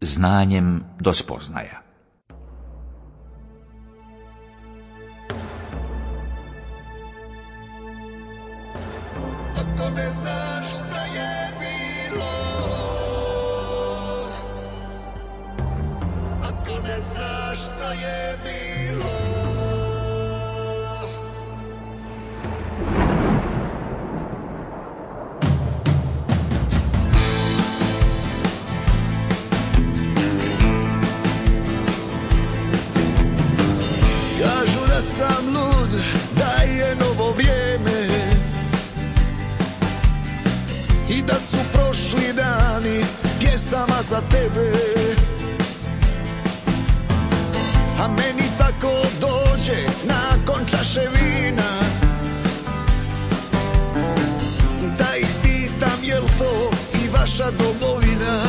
znanjem do spoznaja. Ako ne znaš šta je bilo, ako ne znaš šta je bilo, kažu da sam lud, da je novo vrijeme i da su prošli dani pjesama za tebe, a meni tako dođe nakon čaše vina, da ih pitam jel to i vaša domovina,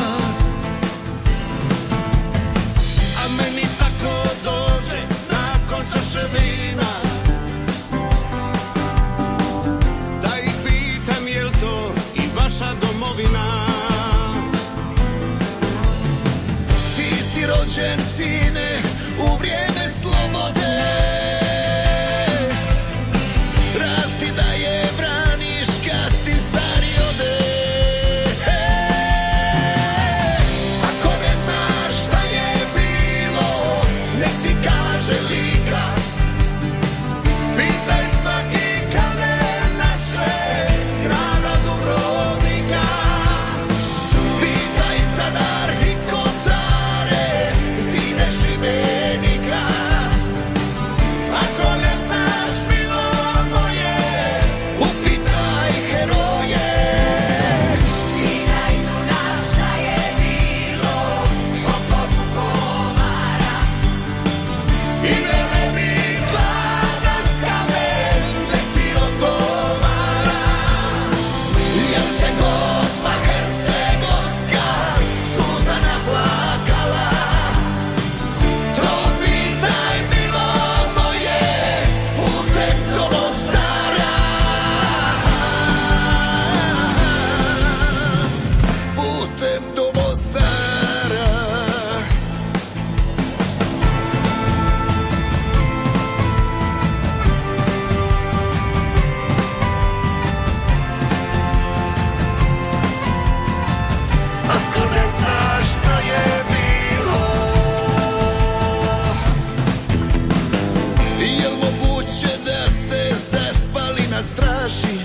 a meni tako dođe nakon čaše vina, da ih pitam jel to vaša domovina. Ti si rođen, sine, u vrijeme slobode, rasti da je braniš kad ti stari ode. Ako ne znaš šta je bilo, nek ti kaže Lika, pitaj svaki kamen naše grada Dubrovnika, pitaj Zadar i Kotare, zide Šibenika. Ako ne znaš bilo moje, upitaj heroje. Pitaj nas šta je bilo oko Vukovara, I velebit gladan kamen nek ti odgovara. Jel se Gospa Hercegovska suza naplakala, to pitaj milo moje putem do Mostara, putem do Mostara. Ako ne znaš šta je bilo, jel moguće da ste zaspali na straži?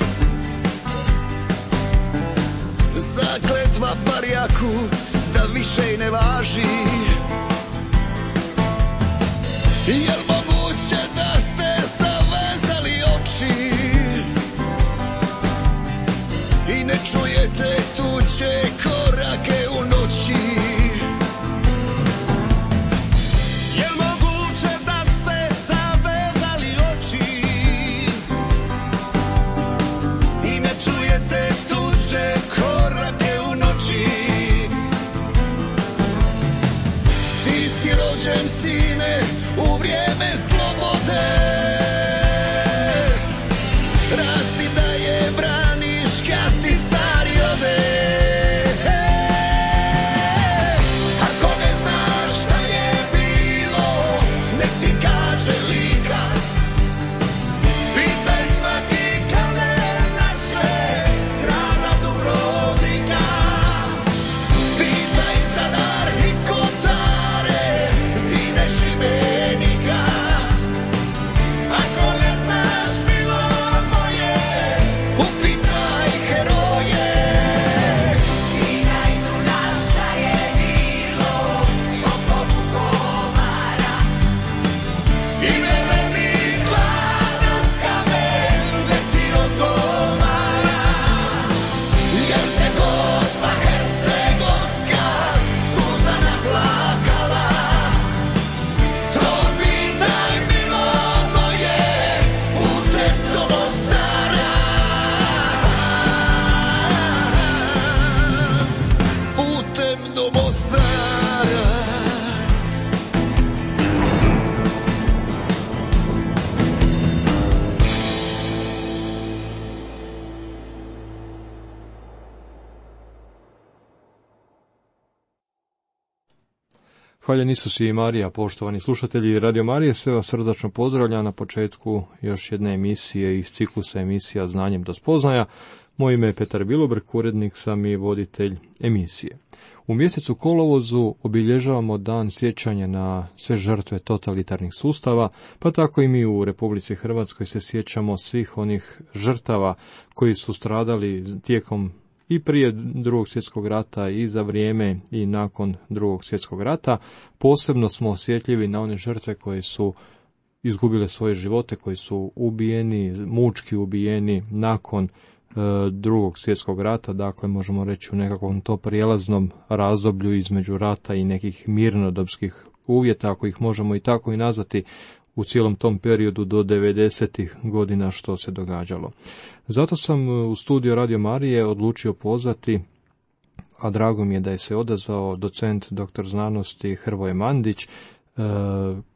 Zakletva barjaku da više i ne važi. Jel moguće da ste zavezali oči i ne čujete tuđe korake u noći? Jel moguće da ste zavezali oči i ne čujete tuđe korake u noći? Ti si rođen, sine, u vrijeme slobode, rasti da je braniš kad ti stari ode. Ako ne znaš šta je bilo, nek ti kaže Lika, pitaj svaki kamen naše grada Dubrovnika, pitaj Zadar i Kotare, zide Šibenika. Ako ne znaš bilo moje, upitaj heroje. pitaj nas šta je bilo oko Vukovara, I velebit gladan kamen nek ti odgovara. Jel se Gospa Hercegovska suza naplakala, to pitaj milo moje putem do Mostara, putem do Mostara. Hvaljen Isus i Marija, poštovani slušatelji Radio Marije, sve vas srdačno pozdravljam na početku još jedne emisije iz ciklusa emisija Znanjem do spoznaja. Moje ime je Petar Bilobrk, urednik sam i voditelj emisije. U mjesecu kolovozu obilježavamo dan sjećanja na sve žrtve totalitarnih sustava, pa tako i mi u Republici Hrvatskoj se sjećamo svih onih žrtava koji su stradali tijekom i prije Drugog svjetskog rata i za vrijeme i nakon Drugog svjetskog rata. Posebno smo osjetljivi na one žrtve koje su izgubile svoje živote, koji su ubijeni, mučki ubijeni nakon Drugog svjetskog rata, dakle možemo reći u nekakvom to prijelaznom razdoblju između rata i nekih mirnodopskih uvjeta, ako ih možemo i tako i nazvati, u cijelom tom periodu do 90. godina što se događalo. Zato sam u studiju Radio Marije odlučio pozvati, a drago mi je da je se odazvao docent doktor znanosti Hrvoje Mandić,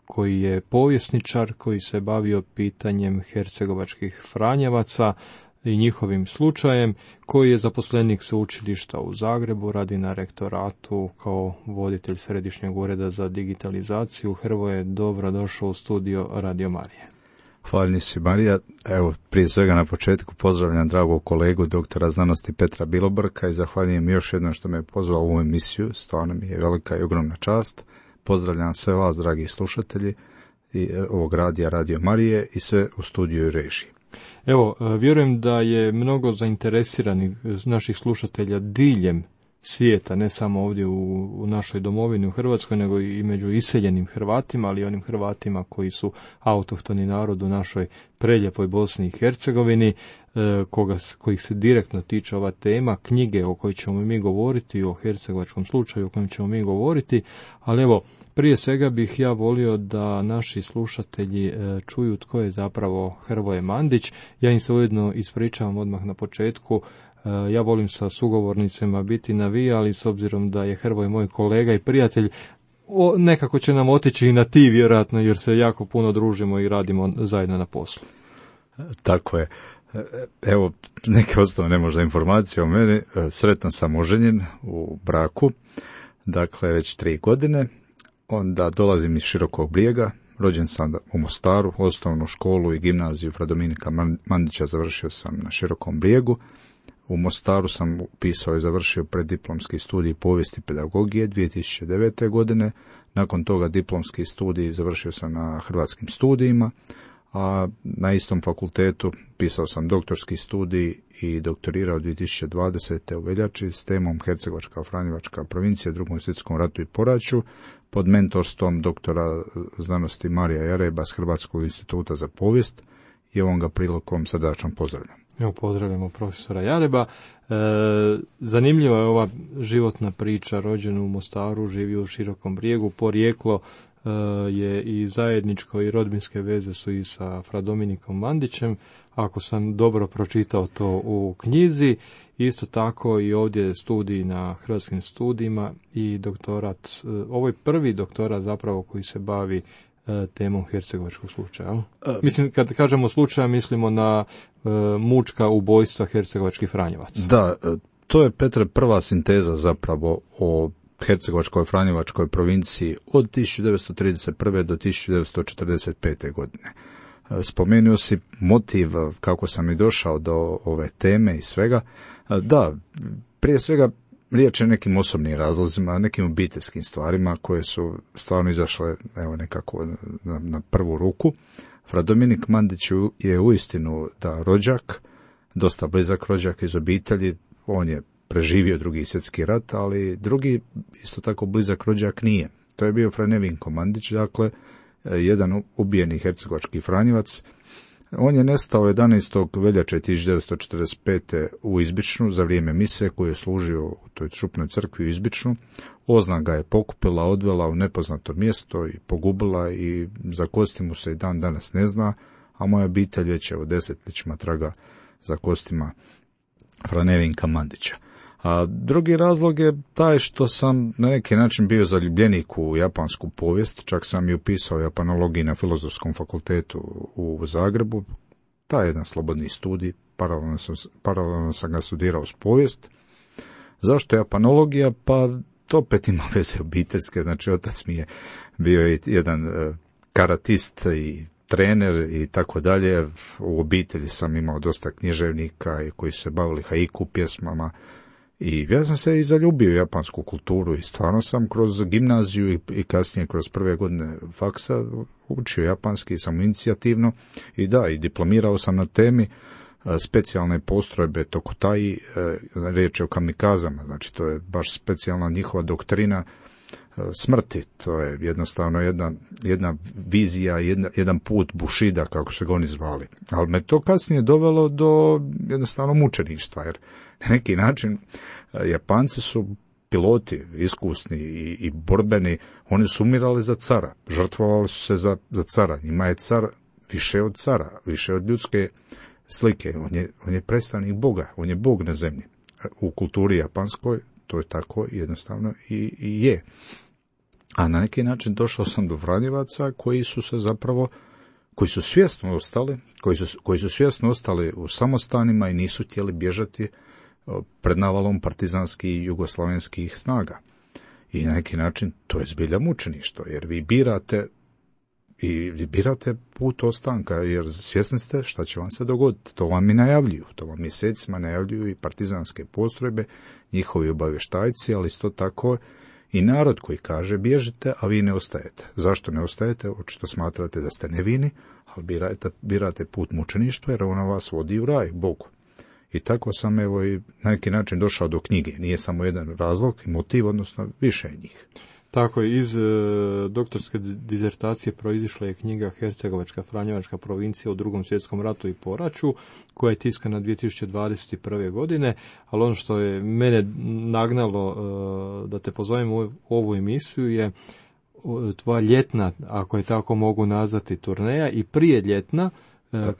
koji je povjesničar, koji se bavio pitanjem hercegovačkih Franjevaca i njihovim slučajem, koji je zaposlenik sveučilišta u Zagrebu, radi na rektoratu kao voditelj Središnjeg ureda za digitalizaciju. Hrvoje, dobro došao u studio Radio Marije. Hvaljen si Marija. Evo, prije svega na početku pozdravljam dragog kolegu doktora znanosti Petra Bilobrka i zahvaljujem još jednom što me je pozvao u ovu emisiju. Stvarno mi je velika i ogromna čast. Pozdravljam sve vas, dragi slušatelji i ovog radija Radio Marije i sve u studiju i režiji. Evo, vjerujem da je mnogo zainteresiranih naših slušatelja diljem svijeta, ne samo ovdje u našoj domovini u Hrvatskoj, nego i među iseljenim Hrvatima, ali i onim Hrvatima koji su autohtoni narod u našoj preljepoj Bosni i Hercegovini, kojih se direktno tiče ova tema, knjige o kojoj ćemo mi govoriti, o hercegovačkom slučaju o kojem ćemo mi govoriti, ali evo, prije svega bih ja volio da naši slušatelji čuju tko je zapravo Hrvoje Mandić. Ja im se ujedno ispričavam odmah na početku. Ja volim sa sugovornicima biti na vi, ali s obzirom da je Hrvoje moj kolega i prijatelj, nekako će nam otići i na ti vjerojatno, jer se jako puno družimo i radimo zajedno na poslu. Tako je. Evo, neke osnovne možda informacije o meni. Sretno sam oženjen u braku, dakle već 3 godine. Onda dolazim iz Širokog Brijega, rođen sam u Mostaru, osnovnu školu i gimnaziju fra Dominika Mandića završio sam na Širokom Brijegu. U Mostaru sam upisao i završio preddiplomski studij povijesti i pedagogije 2009. godine. Nakon toga diplomski studij završio sam na Hrvatskim studijima, a na istom fakultetu pisao sam doktorski studij i doktorirao 2020. u veljači s temom Hercegovačka Franjevačka provincija u Drugom svjetskom ratu i poraću pod mentorstvom doktora znanosti Marija Jareba s Hrvatskog instituta za povijest i ovom ga prilikom srdačno pozdravljam. Evo, pozdravljamo profesora Jareba. Zanimljiva je ova životna priča, rođen u Mostaru, živio u Širokom Brijegu, porijeklo je i zajedničko i rodbinske veze su i sa fra Dominikom Mandićem, ako sam dobro pročitao to u knjizi. Isto tako i ovdje je studij na Hrvatskim studijima i doktorat, ovo je prvi doktorat zapravo koji se bavi temom hercegovačkog slučaja. Mislim, kad kažemo slučaja, mislimo na mučka ubojstva hercegovačkih Franjevaca. Da, to je, Petre, prva sinteza zapravo o hercegovačkoj Franjevačkoj provinciji od 1931. do 1945. godine. Spomenuo si motiv kako sam i došao do ove teme i svega. Da, prije svega riječ je nekim osobnim razlozima, nekim obiteljskim stvarima koje su stvarno izašle evo nekako na prvu ruku. Fra Dominik Mandić je uistinu da rođak, dosta blizak rođak iz obitelji, on je preživio Drugi svjetski rat, ali drugi isto tako blizak rođak nije. To je bio fra Nevinko Mandić, dakle jedan ubijeni hercegovački Franjevac. On je nestao 11. veljače 1945. u Izbičnu za vrijeme mise koju je služio u toj Župnoj crkvi u Izbičnu. Ozna ga je pokupila, odvela u nepoznato mjesto i pogubila i za kosti mu se i dan danas ne zna, a moja obitelj već je 10 traga za kostima fra Nevinka Mandića. A drugi razlog je taj što sam na neki način bio zaljubljenik u japansku povijest, čak sam i upisao japanologiju na Filozofskom fakultetu u Zagrebu. Taj je jedan slobodni studij, paralelno sam ga studirao s povijest. Zašto japanologija? Pa to opet ima veze obiteljske, znači otac mi je bio jedan karatist i trener i tako dalje. U obitelji sam imao dosta književnika i koji su se bavili haiku pjesmama i ja sam se i zaljubio u japansku kulturu i stvarno sam kroz gimnaziju i kasnije kroz prve godine faksa učio japanski samoinicijativno i da, i diplomirao sam na temi specijalne postrojbe Tokutai, riječ je o kamikazama, znači to je baš specijalna njihova doktrina smrti, to je jednostavno jedna vizija, jedan put Bushida, kako se ga oni zvali. Ali me to kasnije dovelo do jednostavno mučeništva, jer na neki način Japanci su piloti iskusni i borbeni, oni su umirali za cara, žrtvovali su se za cara, njima je car više od cara, više od ljudske slike, on je predstavnik Boga, on je Bog na zemlji. U kulturi japanskoj to je tako jednostavno i je. A na neki način došao sam do Franjevaca koji su svjesno ostali u samostanima i nisu htjeli bježati pred navalom partizanskih i jugoslavenskih snaga. I na neki način to je zbilja mučeništvo, jer vi birate put ostanka, jer svjesni ste šta će vam se dogoditi. To vam i najavljuju, to vam mjesecima najavljuju i partizanske postrojbe, njihovi obavještajci, ali isto tako i narod koji kaže bježite, a vi ne ostajete. Zašto ne ostajete? Očito smatrate da ste nevini, ali birate put mučeništva, jer ona vas vodi u raj, Bogu. I tako sam i na neki način došao do knjige. Nije samo jedan razlog i motiv, odnosno više njih. Tako je, iz doktorske dizertacije proizišla je knjiga Hercegovačka Franjevačka provincija u Drugom svjetskom ratu i poraću, koja je tiskana 2021. godine, ali ono što je mene nagnalo da te pozovem u ovu emisiju je tvoja ljetna, ako je tako mogu nazvati, turneja i prije ljetna,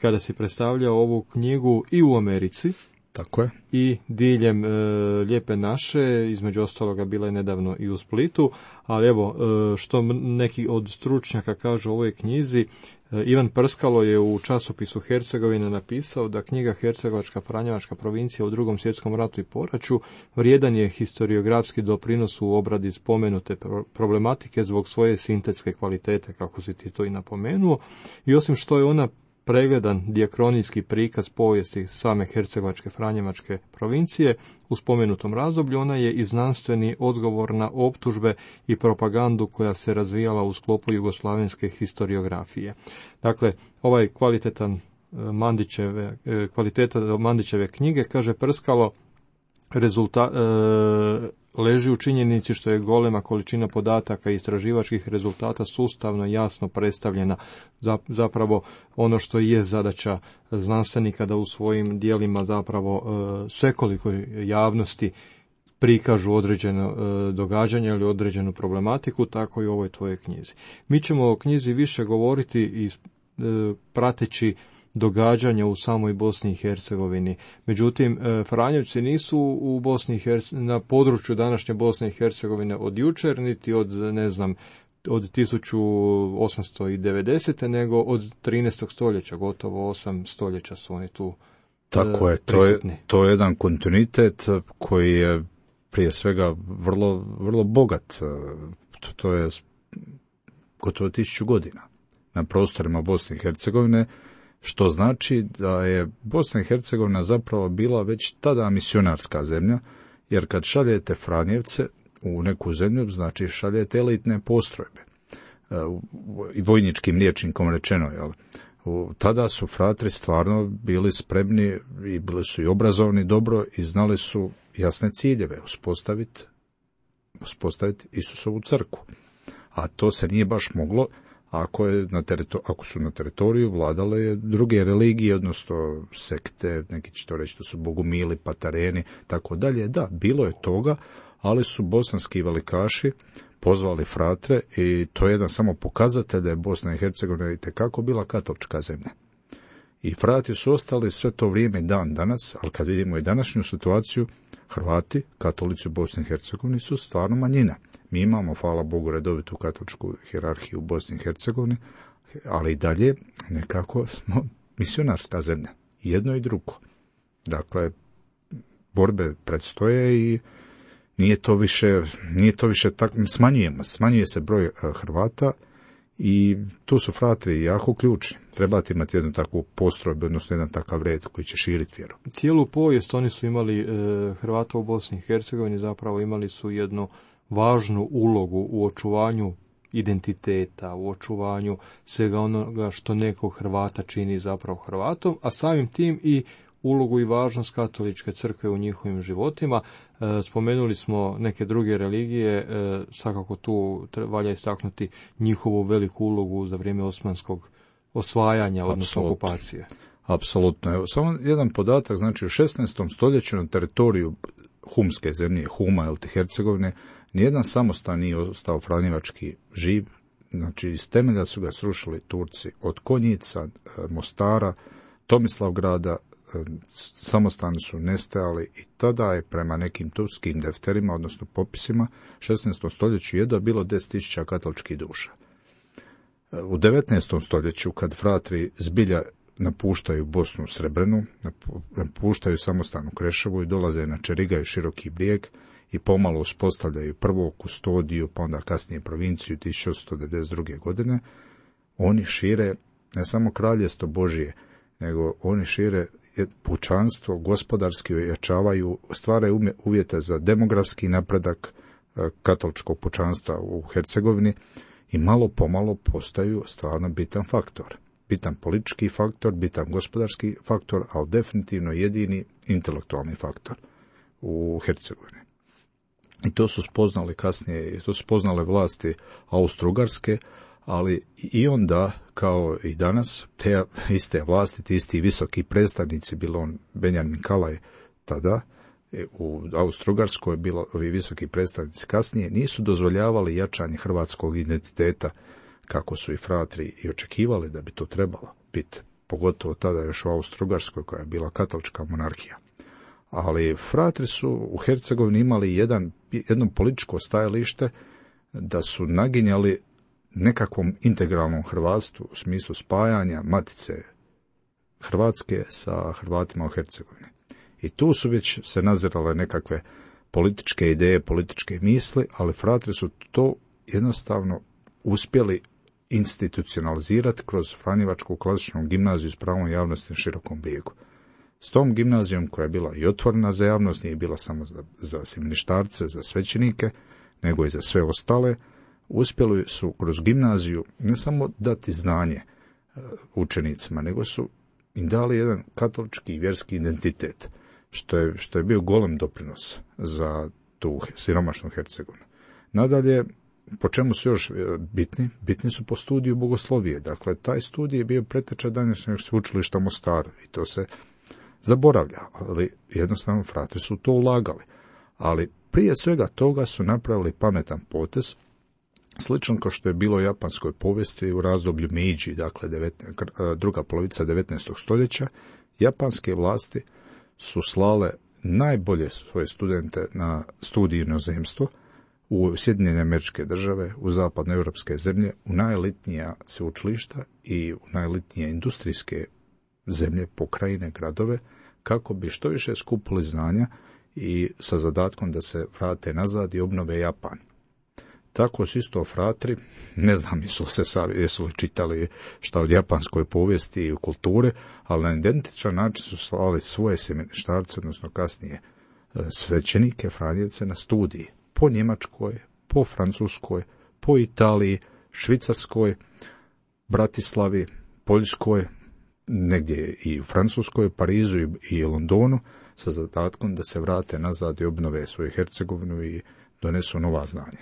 kada si predstavljao ovu knjigu i u Americi. Tako je. I diljem Lijepe naše, između ostaloga bila je nedavno i u Splitu, ali evo, što neki od stručnjaka kažu o ovoj knjizi, Ivan Prskalo je u časopisu Hercegovina napisao da knjiga Hercegovačka Franjevačka provincija u Drugom svjetskom ratu i poraću vrijedan je historiografski doprinos u obradi spomenute problematike zbog svoje sintetske kvalitete, kako si ti to i napomenuo, i osim što je ona pregledan dijakronijski prikaz povijesti same Hercegovačke Franjevačke provincije u spomenutom razdoblju, ona je i znanstveni odgovor na optužbe i propagandu koja se razvijala u sklopu jugoslavenske historiografije. Dakle, ovaj kvaliteta Mandićeve knjige, kaže Prskalo, leži u činjenici što je golema količina podataka i istraživačkih rezultata sustavno jasno predstavljena, zapravo ono što je zadaća znanstvenika da u svojim dijelima zapravo svekolikoj javnosti prikažu određeno događanje ili određenu problematiku, tako i u ovoj tvojoj knjizi. Mi ćemo o knjizi više govoriti i prateći događanja u samoj Bosni i Hercegovini. Međutim, Franjevci nisu u na području današnje Bosne i Hercegovine od jučer, niti od 1890. nego od 13. stoljeća, gotovo 8 stoljeća su oni tu Tako je, to je jedan kontinuitet koji je prije svega vrlo bogat. To je gotovo 1000 godina na prostorima Bosne i Hercegovine, što znači da je Bosna i Hercegovina zapravo bila već tada misionarska zemlja, jer kad šaljete Franjevce u neku zemlju, znači šaljete elitne postrojbe. I vojničkim rječnikom rečeno, jel? Tada su fratri stvarno bili spremni i bili su i obrazovani dobro i znali su jasne ciljeve, uspostaviti Isusovu crkvu. A to se nije baš moglo ako su na teritoriju vladale druge religije, odnosno sekte, neki će to reći, to su bogumili, patareni, tako dalje. Da, bilo je toga, ali su bosanski velikaši pozvali fratre i to je jedan samo pokazatelj da je Bosna i Hercegovina itekako bila katolička zemlja. I frati su ostali sve to vrijeme dan danas, ali kad vidimo i današnju situaciju, Hrvati, katolici u Bosni i Hercegovini su stvarno manjina. Mi imamo, hvala Bogu, redovitu katoličku hijerarhiju u Bosni i Hercegovini, ali i dalje nekako smo misionarska zemlja. Jedno i drugo. Dakle, borbe predstoje nije to više tako, smanjuje se broj Hrvata i tu su fratri jako ključni. Trebate imati jednu takvu postrojbu, odnosno jedan takav red koji će širiti vjeru. Cijelu povijest oni su imali, Hrvata u Bosni i Hercegovini zapravo imali su jednu važnu ulogu u očuvanju identiteta, u očuvanju svega onoga što nekog Hrvata čini zapravo Hrvatom, a samim tim i ulogu i važnost katoličke crkve u njihovim životima. Spomenuli smo neke druge religije, svakako tu valja istaknuti njihovu veliku ulogu za vrijeme osmanskog osvajanja, odnosno okupacije. Apsolutno. Evo, samo jedan podatak, znači u 16. stoljeću na teritoriju humske zemlje, Huma ili Hercegovine, nijedan samostan nije ostao franjevački živ, znači iz temelja su ga srušili Turci, od Konjica, Mostara, Tomislavgrada, samostani su nestajali i tada je prema nekim turskim defterima, odnosno popisima, 16. stoljeću jedva bilo 10.000 katoličkih duša. U 19. stoljeću, kad fratri zbilja napuštaju Bosnu Srebrenu, napuštaju samostan u Kreševu i dolaze na Čerigaju i Široki Brijeg i pomalo uspostavljaju prvo kustodiju, pa onda kasnije provinciju 1892. godine, oni šire ne samo kraljevstvo Božije, nego oni šire pučanstvo, gospodarski ojačavaju, stvaraju uvjete za demografski napredak katoličkog pučanstva u Hercegovini i malo pomalo postaju stvarno bitan faktor. Bitan politički faktor, bitan gospodarski faktor, ali definitivno jedini intelektualni faktor u Hercegovini. I to su spoznali kasnije, to su spoznale vlasti Austro-Ugarske, ali i onda, kao i danas, te iste vlasti, ti isti visoki predstavnici, bilo on Benjamin Kalaj tada, u Austro-Ugarskoj bilo ovi visoki predstavnici kasnije, nisu dozvoljavali jačanje hrvatskog identiteta, kako su i fratri i očekivali da bi to trebalo biti, pogotovo tada još u Austro-Ugarskoj koja je bila katolička monarhija. Ali fratri su u Hercegovini imali jedno političko stajalište da su naginjali nekakvom integralnom hrvatstvu u smislu spajanja matice Hrvatske sa Hrvatima u Hercegovini. I tu su već se nazirale nekakve političke ideje, političke misli, ali fratri su to jednostavno uspjeli institucionalizirati kroz Franjevačku klasičnu gimnaziju s pravom javnosti na Širokom Brijegu. S tom gimnazijom koja je bila i otvorena za javnost, nije bila samo za semeništarce, za svećenike, nego i za sve ostale, uspjeli su kroz gimnaziju ne samo dati znanje učenicima, nego su im dali jedan katolički i vjerski identitet, što je bio golem doprinos za tu siromašnu Hercegovinu. Nadalje, po čemu su još bitni? Bitni su po studiju bogoslovije. Dakle, taj studij je bio preteča današnjeg sveučilišta u Mostaru i to se zaboravlja, ali jednostavno fratri su to ulagali. Ali prije svega toga su napravili pametan potez, slično kao što je bilo u japanskoj povijesti u razdoblju Meiji, dakle druga polovica 19. stoljeća, japanske vlasti su slale najbolje svoje studente na studij inozemstvo, u Sjedinjene Američke Države, u zapadnoevropske zemlje, u najelitnija sveučilišta i u najelitnije industrijske zemlje, pokrajine, gradove, kako bi što više skupili znanja i sa zadatkom da se vrate nazad i obnove Japan. Tako su isto fratri, ne znam jesu li čitali šta od japanskoj povijesti i kulture, ali na identičan način su slali svoje semeništarce, odnosno kasnije svećenike, franjevce na studiji po Njemačkoj, po Francuskoj, po Italiji, Švicarskoj, Bratislavi, Poljskoj, negdje i u Francuskoj, Parizu i Londonu, sa zadatkom da se vrate nazad i obnove svoju Hercegovinu i donesu nova znanja.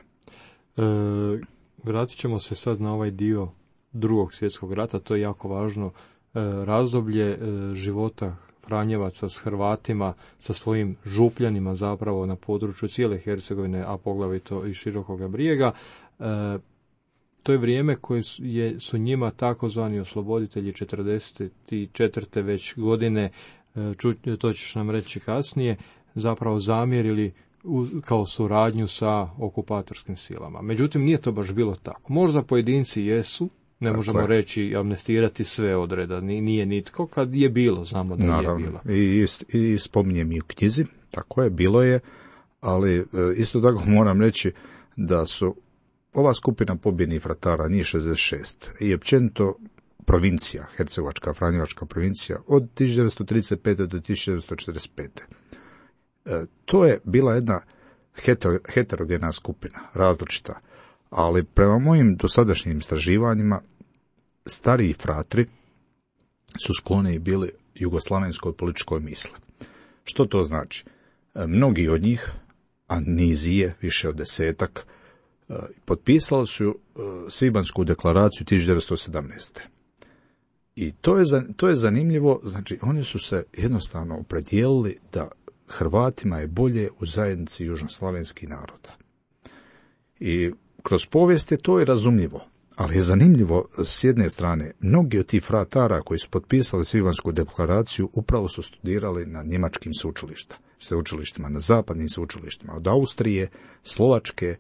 Vratit ćemo se sad na ovaj dio Drugog svjetskog rata, to je jako važno razdoblje života Franjevaca s Hrvatima, sa svojim župljanima zapravo na području cijele Hercegovine, a poglavito i Širokoga Brijega. To je vrijeme koje su njima takozvani osloboditelji 44. već godine, to ćeš nam reći kasnije, zapravo zamjerili kao suradnju sa okupatorskim silama. Međutim, nije to baš bilo tako. Možda pojedinci jesu, ne možemo reći amnestirati sve odreda, nije nitko, kad je bilo, znamo da je bilo. I spominjem i u knjizi, tako je, bilo je, ali isto tako moram reći da su ova skupina pobjednih fratara, njih 66, i općenito provincija, Hercegovačka, Franjevačka provincija, od 1935. do 1945. To je bila jedna heterogena skupina, različita, ali prema mojim dosadašnjim istraživanjima stariji fratri su skloni bili jugoslavenskoj političkoj misli. Što to znači? Mnogi od njih, a niz je, više od 10-ak, potpisali su Svibanjsku deklaraciju 1917. I to je zanimljivo, znači oni su se jednostavno opredijelili da Hrvatima je bolje u zajednici južnoslavenskih naroda. I kroz povijest je to i razumljivo, ali je zanimljivo s jedne strane, mnogi od tih fratara koji su potpisali Svibanjsku deklaraciju upravo su studirali na njemačkim sveučilištima, na zapadnim sveučilištima, od Austrije, Slovačke,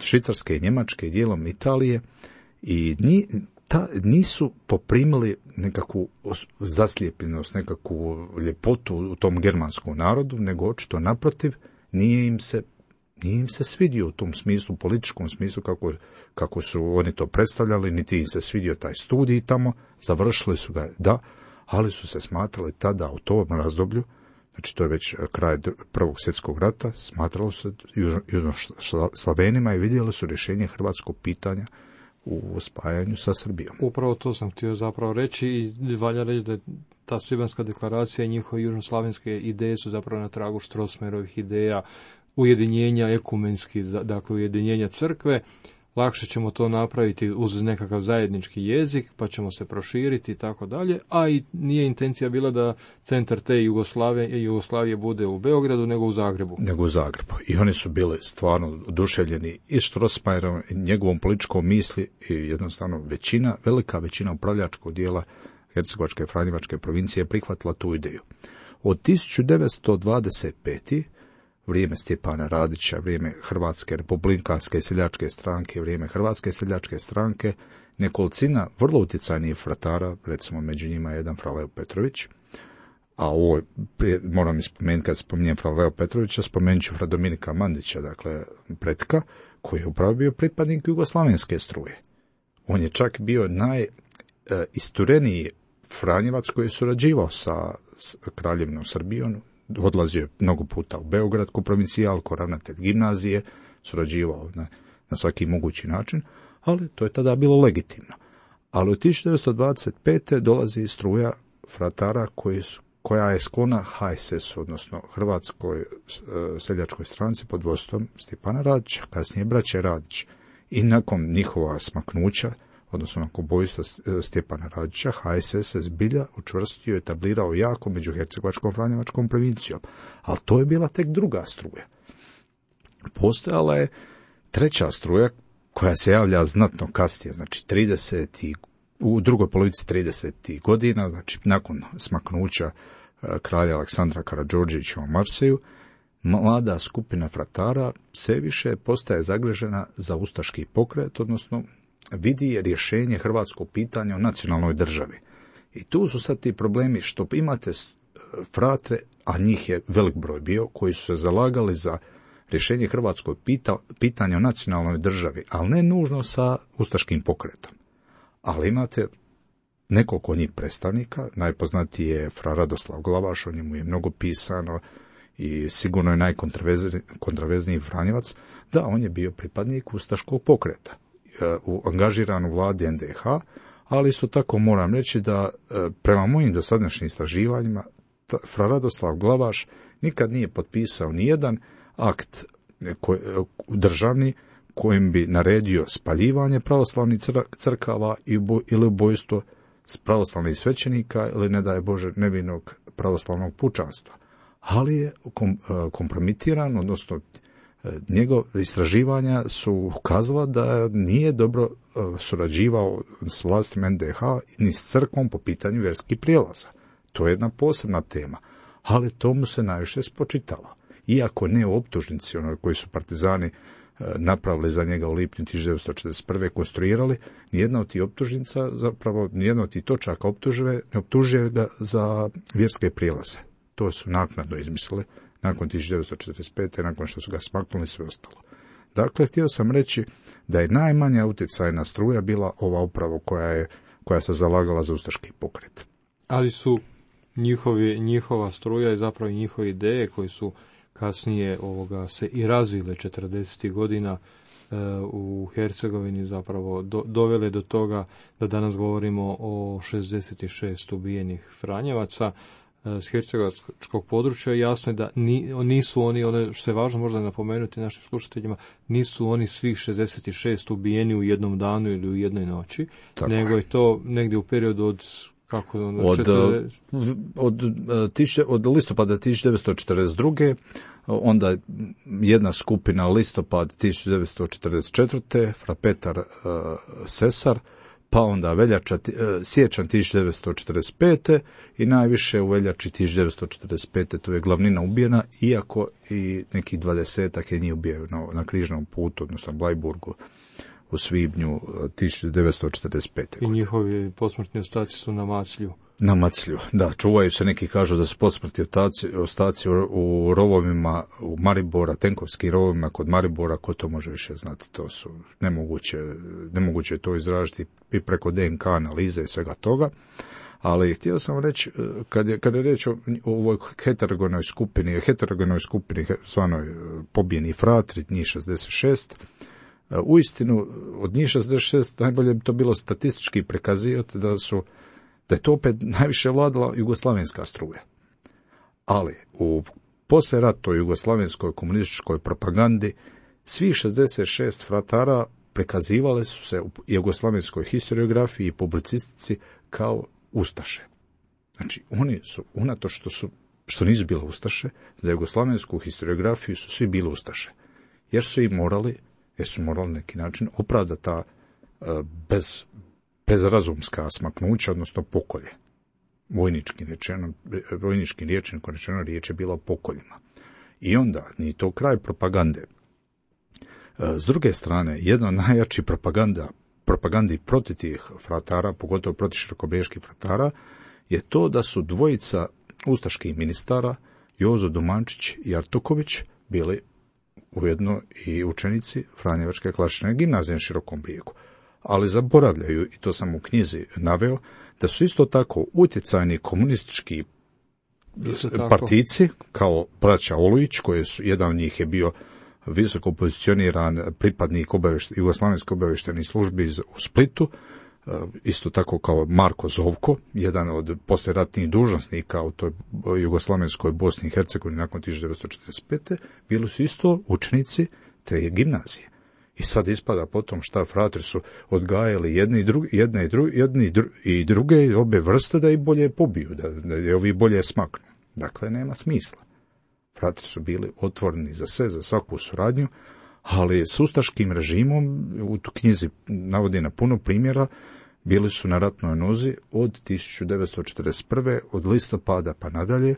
Švicarske, Njemačke, dijelom Italije, i nisu poprimili nekakvu zaslijepljenost, nekakvu ljepotu u tom germanskom narodu, nego očito naprotiv, nije im se svidio u tom smislu, političkom smislu kako su oni to predstavljali, niti im se svidio taj studij tamo, završili su ga, da, ali su se smatrali tada u tom razdoblju, znači to je već kraj Prvog svjetskog rata, smatralo se Južnoslavenima i vidjeli su rješenje hrvatskog pitanja u spajanju sa Srbijom. Upravo to sam htio zapravo reći i valja reći da je ta Svibanjska deklaracija i njihove južnoslavenske ideje su zapravo na tragu Strossmayerovih ideja ujedinjenja ekumenski, dakle ujedinjenja crkve. Lakše ćemo to napraviti uz nekakav zajednički jezik, pa ćemo se proširiti i tako dalje, a i nije intencija bila da centar te Jugoslavije bude u Beogradu, nego u Zagrebu. I oni su bili stvarno oduševljeni i Strossmayerom i njegovom političkom misli, i jednostavno velika većina upravljačkog dijela Hercegovačke i Franjevačke provincije prihvatila tu ideju. Od 1925. vrijeme Stjepana Radića, vrijeme Hrvatske republikanske seljačke stranke, vrijeme Hrvatske seljačke stranke, nekolicina vrlo utjecajnih fratara, recimo među njima jedan fra Leo Petrović, a ovo moram ispomenuti, kad spominjem fra Leo Petrovića, spomenut ću fra Dominika Mandića, dakle pretka, koji je upravo bio pripadnik jugoslavenske struje. On je čak bio najistureniji Franjevac koji je surađivao sa Kraljevinom Srbijom, odlazio je mnogo puta u Beograd ko provincijal, ko ravnatelj gimnazije, surađivao na svaki mogući način, ali to je tada bilo legitimno. Ali u 1925. dolazi struja fratara koja je sklona HSS, odnosno Hrvatskoj seljačkoj stranci pod vodstvom Stjepana Radića, kasnije braće Radić. I nakon njihova smaknuća, odnosno nakon ubojstva Stjepana Radića, HSS se zbilja učvrstio i etablirao jako među Hercegovačkom Franjevačkom provincijom. Ali to je bila tek druga struja. Postojala je treća struja koja se javlja znatno kasnije, znači u drugoj polovici 30. godina, znači nakon smaknuća kralja Aleksandra Karađorđevića u Marseju, mlada skupina fratara sve više postaje zagrežena za ustaški pokret, odnosno vidi rješenje hrvatskog pitanja o nacionalnoj državi. I tu su sad ti problemi što imate fratre, a njih je velik broj bio, koji su se zalagali za rješenje hrvatskog pitanja o nacionalnoj državi, ali ne nužno sa ustaškim pokretom. Ali imate nekoliko njih predstavnika, najpoznatiji je fra Radoslav Glavaš, o njemu je mnogo pisano i sigurno je najkontraverzniji Franjevac, da on je bio pripadnik ustaškog pokreta, angažiran u vladi NDH, ali isto tako moram reći da prema mojim dosadašnjim istraživanjima fra Radoslav Glavaš nikad nije potpisao nijedan akt državni kojim bi naredio spaljivanje pravoslavnih crkava ili ubojstvo pravoslavnih svećenika ili, ne daj Bože, nevinog pravoslavnog pučanstva. Ali je kompromitiran, odnosno njegov istraživanja su ukazala da nije dobro surađivao s vlastima NDH ni s crkvom po pitanju vjerskih prijelaza. To je jedna posebna tema, ali to mu se najviše spočitalo. Iako ne u optužnici, koji su partizani napravili za njega u lipnju 1941. konstruirali, nijedna od tih optužnica, zapravo nijedna od tih točaka ne optužuje ga za vjerske prijelaze. To su naknadno izmislili nakon 1945. nakon što su ga smaknuli sve ostalo. Dakle, htio sam reći da je najmanja utjecajna struja bila ova upravo koja se zalagala za ustaški pokret. Ali su njihova struja i zapravo njihove ideje koji su kasnije se i razvile 40. godina u Hercegovini zapravo dovele do toga da danas govorimo o 66 ubijenih Franjevaca s hercegovačkog područja. Jasno je da nisu oni, što je važno možda napomenuti našim slušateljima, nisu oni svih 66 ubijeni u jednom danu ili u jednoj noći, tako nego je to negdje u periodu od listopada 1942. onda jedna skupina listopad 1944. Frapetar Sesar, pa onda siječanj 1945. i najviše u veljači 1945. to je glavnina ubijena, iako i nekih 20-ak je njih ubijaju na križnom putu, odnosno Blajburgu u svibnju 1945. I njihovi posmrtni ostaci su na Maclju. Na Maclju, da, čuvaju se, neki kažu da su posmrtni ostaci u rovovima u Maribora, tenkovskim rovovima kod Maribora, ko to može više znati, to su nemoguće to izražiti i preko DNK analize i svega toga. Ali htio sam reći, kad je riječ o ovoj heterogenoj skupini zvanoj pobijeni fratri, njih 66, uistinu od njih 66 najbolje bi to bilo statistički prikazivati da je to opet najviše vladala jugoslavenska struja. Ali u poslijeratnoj jugoslavenskoj komunističkoj propagandi svih 66 fratara prikazivale su se u jugoslavenskoj historiografiji i publicistici kao ustaše. Znači, oni su, unatoč što nisu bile ustaše, za jugoslavensku historiografiju su svi bili ustaše. Jer su morali na neki način opravdati ta bezrazumska smaknuća, odnosno pokolje. Vojničkim rječnikom rečeno, riječ je bila o pokoljima. I onda, ni to kraj propagande. S druge strane, jedna od najjačih propagandi protiv tih fratara, pogotovo protiv širokobrijeških fratara, je to da su dvojica ustaških ministara, Jozo Dumančić i Artuković, bili ujedno i učenici Franjevačke klasične gimnazije na Širokom Brijegu. Ali zaboravljaju, i to sam u knjizi naveo, da su isto tako utjecajni komunistički partijci, kao braća Olujić, jedan od njih je bio visoko pozicioniran pripadnik jugoslavenske obavještajnih službi u Splitu, isto tako kao Marko Zovko, jedan od poslijeratnih dužnosnika u toj jugoslavenskoj Bosni i Hercegovini nakon 1945. bili su isto učenici te gimnazije. I sad ispada potom šta fratri su odgajali jedne i druge obe vrste da ih bolje pobiju, da ovi bolje smaknu. Dakle, nema smisla. Fratri su bili otvoreni za sve, za svaku suradnju, ali s ustaškim režimom, u tu knjizi navodi na puno primjera, bili su na ratnoj nozi od 1941. od listopada pa nadalje,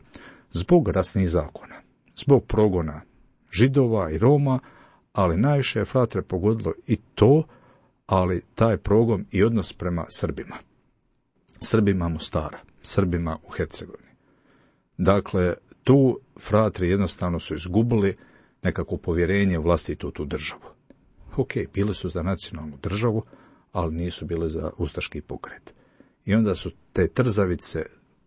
zbog rasnih zakona, zbog progona Židova i Roma, ali najviše je fratre pogodilo i to, ali taj progon i odnos prema Srbima. Srbima Mostara, Srbima u Hercegovini. Dakle, tu fratri jednostavno su izgubili nekako povjerenje u vlastitu tu državu. Ok, bili su za nacionalnu državu, ali nisu bili za ustaški pokret. I onda su te trzavice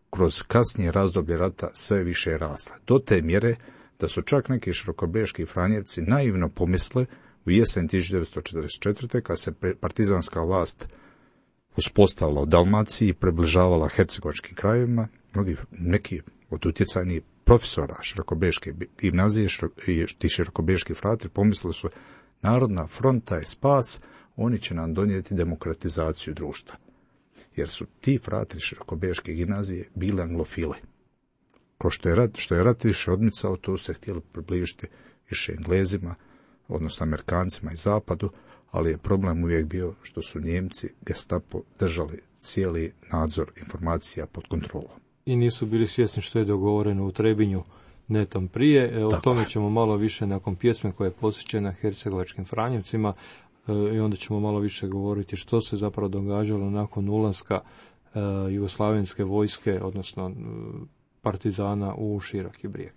kroz kasnije razdoblje rata sve više rasle. Do te mjere da su čak neki širokobriješki Franjevci naivno pomisle u jesen 1944. kad se partizanska vlast uspostavila u Dalmaciji i približavala hercegovačkim krajevima, neki od utjecajnih profesora širokobriješke gimnazije i ti širokobriješki fratri pomislili su Narodna fronta je spas, oni će nam donijeti demokratizaciju društva. Jer su ti fratri širokobriješke gimnazije bili anglofili. Ko što je rat više odmicao, to su se htjeli približiti više Englezima, odnosno Amerikancima i Zapadu, ali je problem uvijek bio što su Njemci, Gestapo, držali cijeli nadzor informacija pod kontrolom. I nisu bili svjesni što je dogovoreno u Trebinju netom prije. O tome ćemo malo više nakon pjesme koja je posvećena hercegovačkim Franjevcima i onda ćemo malo više govoriti što se zapravo događalo nakon ulaska jugoslavenske vojske, odnosno partizana u Široki Brijeg.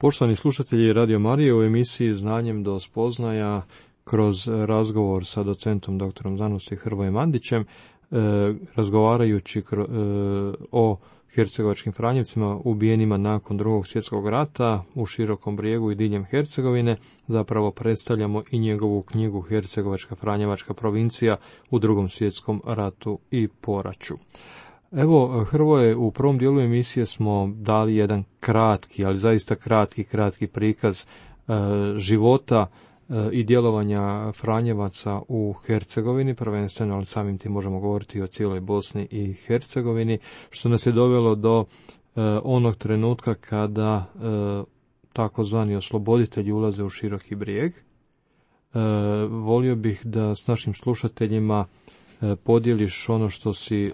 Poštovani slušatelji Radio Marije, u emisiji Znanjem do spoznaja kroz razgovor sa docentom doktorom znanosti Hrvojem Mandićem, razgovarajući o hercegovačkim Franjevcima ubijenima nakon Drugog svjetskog rata u Širokom Brijegu i diljem Hercegovine, zapravo predstavljamo i njegovu knjigu Hercegovačka Franjevačka provincija u Drugom svjetskom ratu i poraću. Evo, Hrvoje, u prvom dijelu emisije smo dali jedan kratki, ali zaista kratki prikaz života i djelovanja Franjevaca u Hercegovini, prvenstveno, ali samim tim možemo govoriti o cijeloj Bosni i Hercegovini, što nas je dovelo do onog trenutka kada takozvani osloboditelji ulaze u Široki Brijeg. Volio bih da s našim slušateljima podijeliš ono što si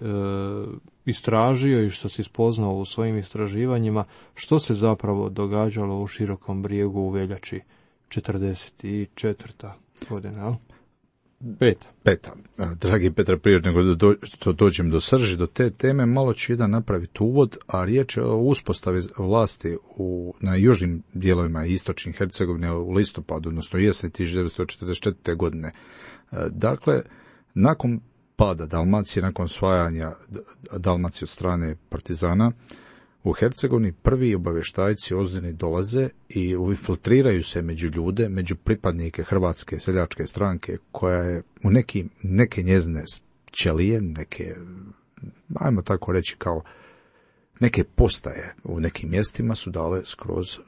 istražio i što si spoznao u svojim istraživanjima, što se zapravo događalo u Širokom Brijegu u veljači 44. godina. Peta. Dragi Petar, prije nego dođem do srži, do te teme, malo ću jedan napraviti uvod, a riječ je o uspostavi vlasti na južnim dijelovima istočnih Hercegovine u listopadu, odnosno jesen 1944. godine. Dakle, nakon pada Dalmacije, nakon osvajanja Dalmacije od strane partizana, u Hercegovini prvi obavještajci ozbiljni dolaze i infiltriraju se među ljude, među pripadnike Hrvatske seljačke stranke, koja je u neke njezine ćelije, neke, ajmo tako reći, kao neke postaje u nekim mjestima su dale skroz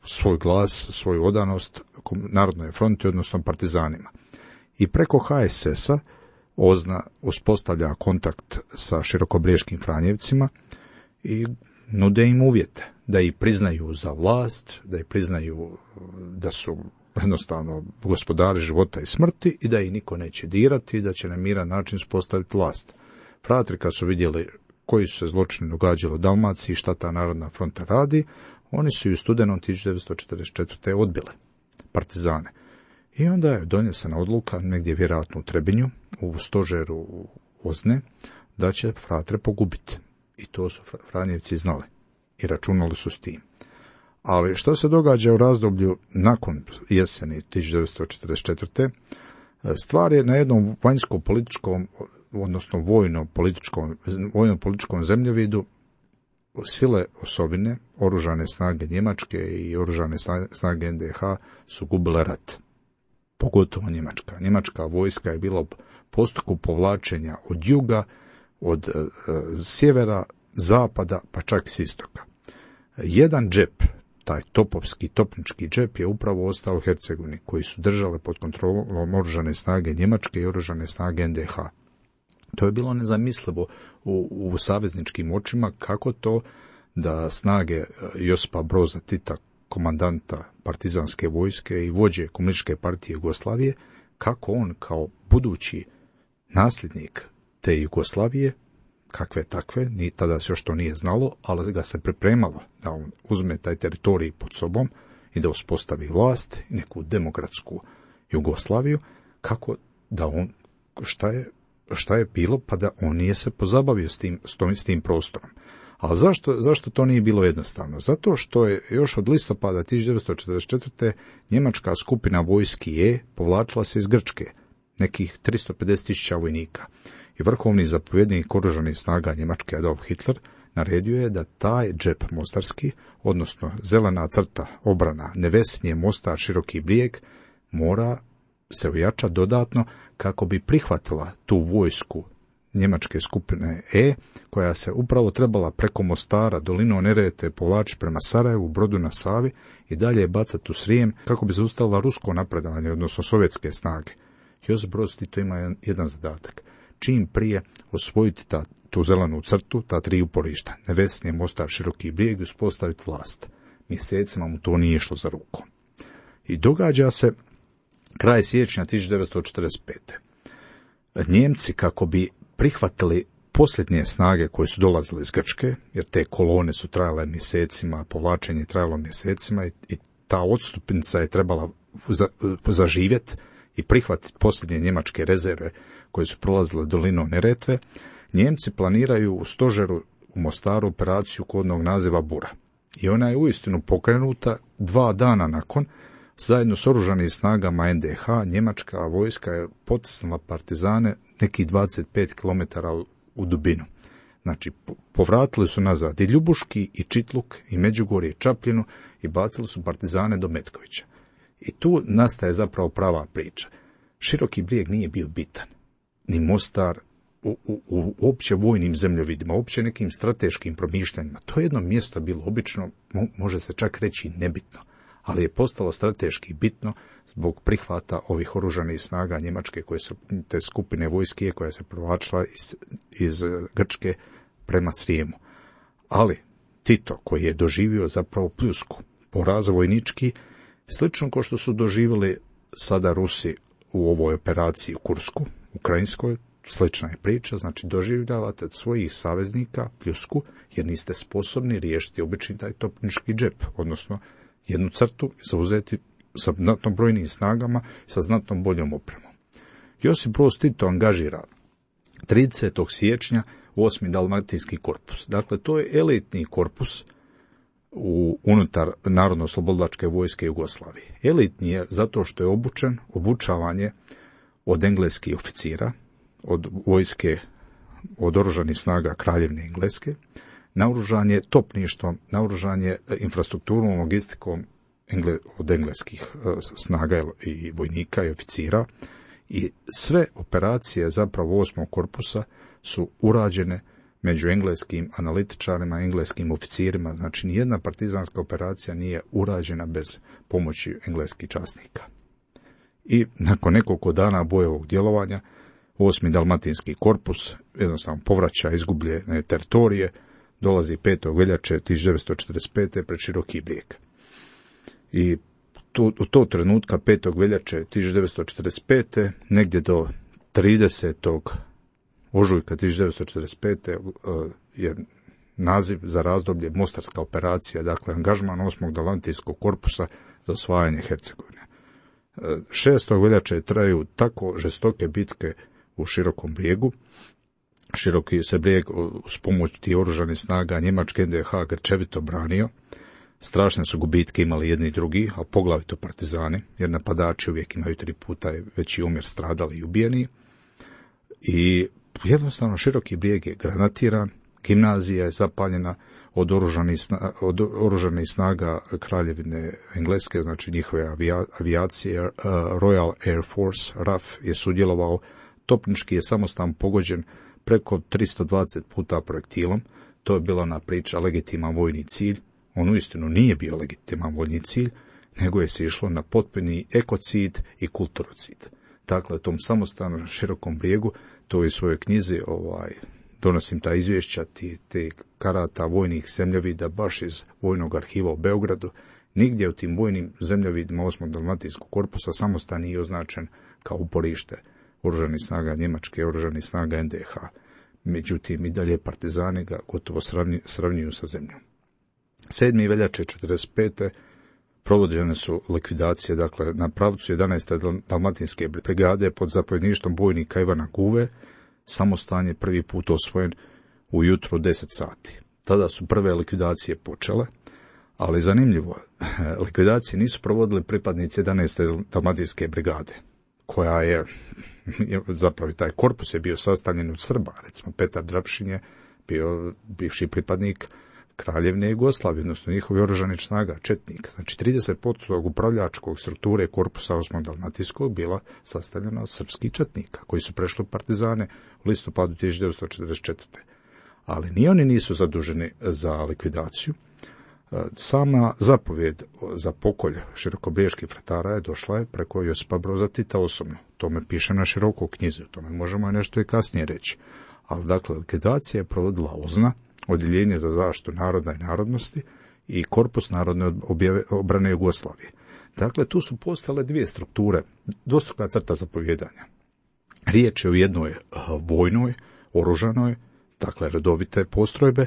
svoj glas, svoju odanost Narodnoj fronti, odnosno partizanima. I preko HSS-a OZNA uspostavlja kontakt sa širokobriješkim Franjevcima i nude im uvjete da ih priznaju za vlast, da ih priznaju da su jednostavno gospodari života i smrti i da ih niko neće dirati i da će na miran način uspostaviti vlast. Fratri kad su vidjeli koji su se zločini događali u Dalmaciji i šta ta Narodna fronta radi, oni su i u studenom 1944. odbili partizane. I onda je donesena odluka, negdje vjerojatno u Trebinju, u stožeru OZNE, da će fratre pogubiti. I to su Franjevci znali i računali su s tim. Ali što se događa u razdoblju nakon jeseni 1944. Stvar je na jednom vanjsko-političkom, odnosno vojno-političkom zemljovidu sile osobine, oružane snage Njemačke i oružane snage NDH su gubile rat. Pogotovo Njemačka. Njemačka vojska je bila u postupku povlačenja od juga, od sjevera, zapada, pa čak s istoka. Jedan džep, taj topovski, topnički džep, je upravo ostao u Hercegovini, koji su držale pod kontrolom oružane snage Njemačke i oružane snage NDH. To je bilo nezamislivo u savezničkim očima, kako to da snage Josipa Broza Tita, komandanta partizanske vojske i vođe Komunističke partije Jugoslavije, kako on kao budući nasljednik te Jugoslavije, kakve takve, ni tada se još to nije znalo, ali ga se pripremalo da on uzme taj teritorij pod sobom i da uspostavi vlast i neku demokratsku Jugoslaviju, kako da on, šta je bilo, pa da on nije se pozabavio s tim prostorom. Ali zašto to nije bilo jednostavno? Zato što je još od listopada 1944. njemačka skupina vojski E povlačila se iz Grčke, nekih 350.000 vojnika. I vrhovni zapovjednik oružanih snaga Njemačke Adolf Hitler naredio je da taj džep mostarski, odnosno zelena crta obrana Nevesinje, Mostar, Široki Brijeg, mora se ojačati dodatno kako bi prihvatila tu vojsku njemačke skupine E, koja se upravo trebala preko Mostara, dolinom Neretve povlačiti prema Sarajevu, Brodu na Savi i dalje bacati u Srijem kako bi zaustavila rusko napredovanje, odnosno sovjetske snage. Josip Broz Tito ima jedan zadatak. Čim prije osvojiti tu zelenu crtu, ta tri uporišta, Nevesinje, Mostar, Široki Brijeg, uspostaviti vlast. Mjesecima mu to nije išlo za rukom. I događa se kraj siječnja 1945. Njemci, kako bi prihvatili posljednje snage koje su dolazile iz Grčke, jer te kolone su trajale mjesecima, povlačenje je trajalo mjesecima i ta odstupnica je trebala zaživjeti i prihvatiti posljednje njemačke rezerve koje su prolazile dolinom Neretve, Njemci planiraju u stožeru u Mostaru operaciju kodnog naziva Bura. I ona je uistinu pokrenuta 2 dana nakon. Zajedno s oružanim snagama NDH, njemačka vojska je potisnula partizane nekih 25 km u dubinu. Znači, povratili su nazad i Ljubuški, i Čitluk, i Međugorje, i Čapljinu i bacili su partizane do Metkovića. I tu nastaje zapravo prava priča. Široki Brijeg nije bio bitan, ni Mostar u opće vojnim zemljovidima, opće nekim strateškim promišljanjima. To je jedno mjesto bilo obično, može se čak reći nebitno, ali je postalo strateški bitno zbog prihvata ovih oružanih snaga Njemačke, koje su te skupine vojske koja se provlačila iz Grčke prema Srijemu. Ali Tito, koji je doživio zapravo pljusku, poraz vojnički, slično kao što su doživjeli sada Rusi u ovoj operaciji u Kursku, ukrajinskoj, slična je priča, znači doživljavate od svojih saveznika pljusku, jer niste sposobni riješiti obični taj topnički džep, odnosno jednu crtu, zauzeti sa znatno brojnim snagama, sa znatno boljom opremom. Josip Broz Tito angažira 30. siječnja 8. dalmatinski korpus. Dakle, to je elitni korpus unutar Narodno-oslobodilačke vojske Jugoslavije. Elitni je zato što je obučavan je od engleskih oficira, od vojske, od oružanih snaga Kraljevine Engleske, naoružan je topništvom, naoružan je infrastrukturnom logistikom od engleskih snaga i vojnika i oficira, i sve operacije zapravo 8. korpusa su urađene među engleskim analitičarima, engleskim oficirima. Znači, nijedna partizanska operacija nije urađena bez pomoći engleskih časnika. I nakon nekoliko dana bojevog djelovanja, 8. dalmatinski korpus jednostavno povraća izgubljene teritorije, dolazi 5. veljače 1945. pred Široki Brijeg. I u to trenutka 5. veljače 1945. negdje do 30. ožujka 1945. je naziv za razdoblje Mostarska operacija, dakle angažman 8. dalmatinskog korpusa za osvajanje Hercegovine. 6. veljače traju tako žestoke bitke u Širokom Brijegu. Široki se Brijeg uz pomoć tih oružanih snaga njemačke NDH grčevito branio. Strašne su gubitke imali jedni i drugi, a poglavito partizani, jer napadači uvijek imaju 3 puta veći omjer stradali i ubijeni. I jednostavno Široki Brijeg je granatiran, gimnazija je zapaljena od oružanih snaga Kraljevine Engleske, znači njihove avijacije. Royal Air Force, RAF, je sudjelovao. Topnički je samostan pogođen preko 320 puta projektilom. To je bila ona priča legitiman vojni cilj. On uistinu nije bio legitiman vojni cilj, nego je se išlo na potpuni ekocid i kulturocid. Dakle, tom samostanu Širokom Brijegu, to je u svojoj knjizi, donosim ta izvješća, te karata vojnih zemljovida baš iz Vojnog arhiva u Beogradu. Nigdje u tim vojnim zemljovidima 8. dalmatinskog korpusa samostan nije označen kao uporište oružanih snaga Njemačke, oružanih snaga NDH. Međutim, i dalje partizani ga gotovo sravnjuju sa zemljom. 7. veljače 1945. provođene su likvidacije, dakle, na pravcu 11. dalmatinske brigade pod zapovjedništvom bojnika Ivana Guve. Samostan je prvi put osvojen ujutro 10 sati. Tada su prve likvidacije počele, ali zanimljivo, likvidacije nisu provodili pripadnici 11. dalmatinske brigade, koja je, zapravo taj korpus je bio sastavljen od Srba. Recimo, Petar Drapšin je bio bivši pripadnik Kraljevine Jugoslavije, odnosno njihovi oružanih snaga, četnik. Znači, 30% upravljačkog strukture korpusa 8. dalmatinskog bila sastavljena od srpskih četnika, koji su prešli partizane u listopadu 1944. Ali ni oni nisu zaduženi za likvidaciju. Sama zapovjed za pokolj širokobrijeških fratara je došla preko Josipa Broza Tita osobno. To me piše na široko u knjizi, o tome možemo nešto i kasnije reći. Ali, dakle, likvidacija je provodila OZNA, Odjeljenje za zaštitu naroda i narodnosti, i Korpus narodne obrane Jugoslavije. Dakle, tu su postale dvije strukture, dvostruka crta zapovjedanja. Riječ je o jednoj vojnoj, oružanoj, dakle redovite postrojbe,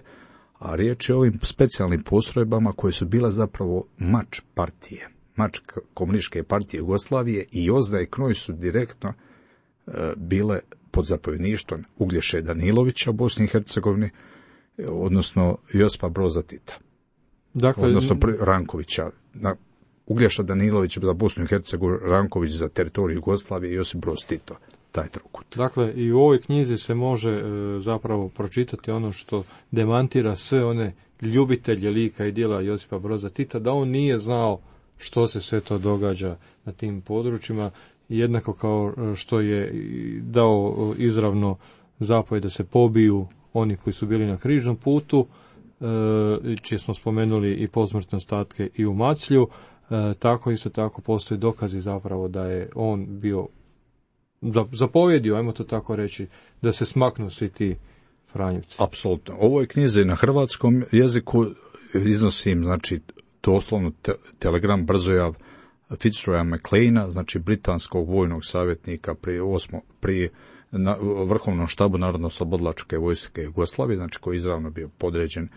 a riječ je o ovim specijalnim postrojbama koje su bile zapravo mač partije, mač komunističke partije Jugoslavije, i OZNA i KNOJ su direktno bile pod zapovjedništvom Uglješe Danilovića u Bosni i Hercegovini, odnosno Josipa Broza Tita. Dakle, odnosno Rankovića. Uglješa Danilović za Bosnu i Hercegovinu, Ranković za teritoriju Jugoslavije i Josip Broz Tito, taj trokut. Dakle, i u ovoj knjizi se može zapravo pročitati ono što demantira sve one ljubitelje lika i djela Josipa Broza Tita, da on nije znao što se sve to događa na tim područjima, jednako kao što je dao izravno zapovjed da se pobiju oni koji su bili na križnom putu, čije smo spomenuli i posmrtne ostatke i u Maclju. Tako isto tako postoje dokazi zapravo da je on bio zapovjedio, ajmo to tako reći, da se smaknu svi ti Franjevci. Apsolutno. Ovo je knjize na hrvatskom jeziku, iznosim, znači, doslovno telegram brzojav Fitzroya McLeana, znači britanskog vojnog savjetnika pri Vrhovnom štabu Narodno-oslobodilačke vojske Jugoslavije, znači koji je izravno bio podređen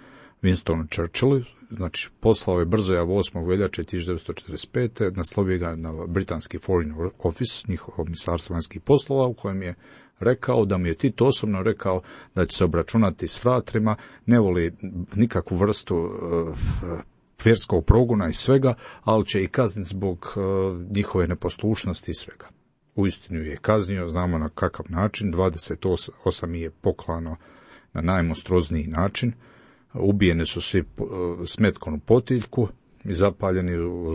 Winstonu Churchillu, znači poslao je brzo 8. veljače 1945. naslovio ga na britanski Foreign Office, njihovo ministarstvo vanjskih poslova, u kojem je rekao da mu je Tito osobno rekao da će se obračunati s fratrima, ne voli nikakvu vrstu vjerskog progona i svega, ali će i kazniti zbog njihove neposlušnosti i svega. Uistinu je kaznio, znamo na kakav način, 28 je poklano na najmonstruozniji način, ubijeni su svi s metkom u potiljku i zapaljeni u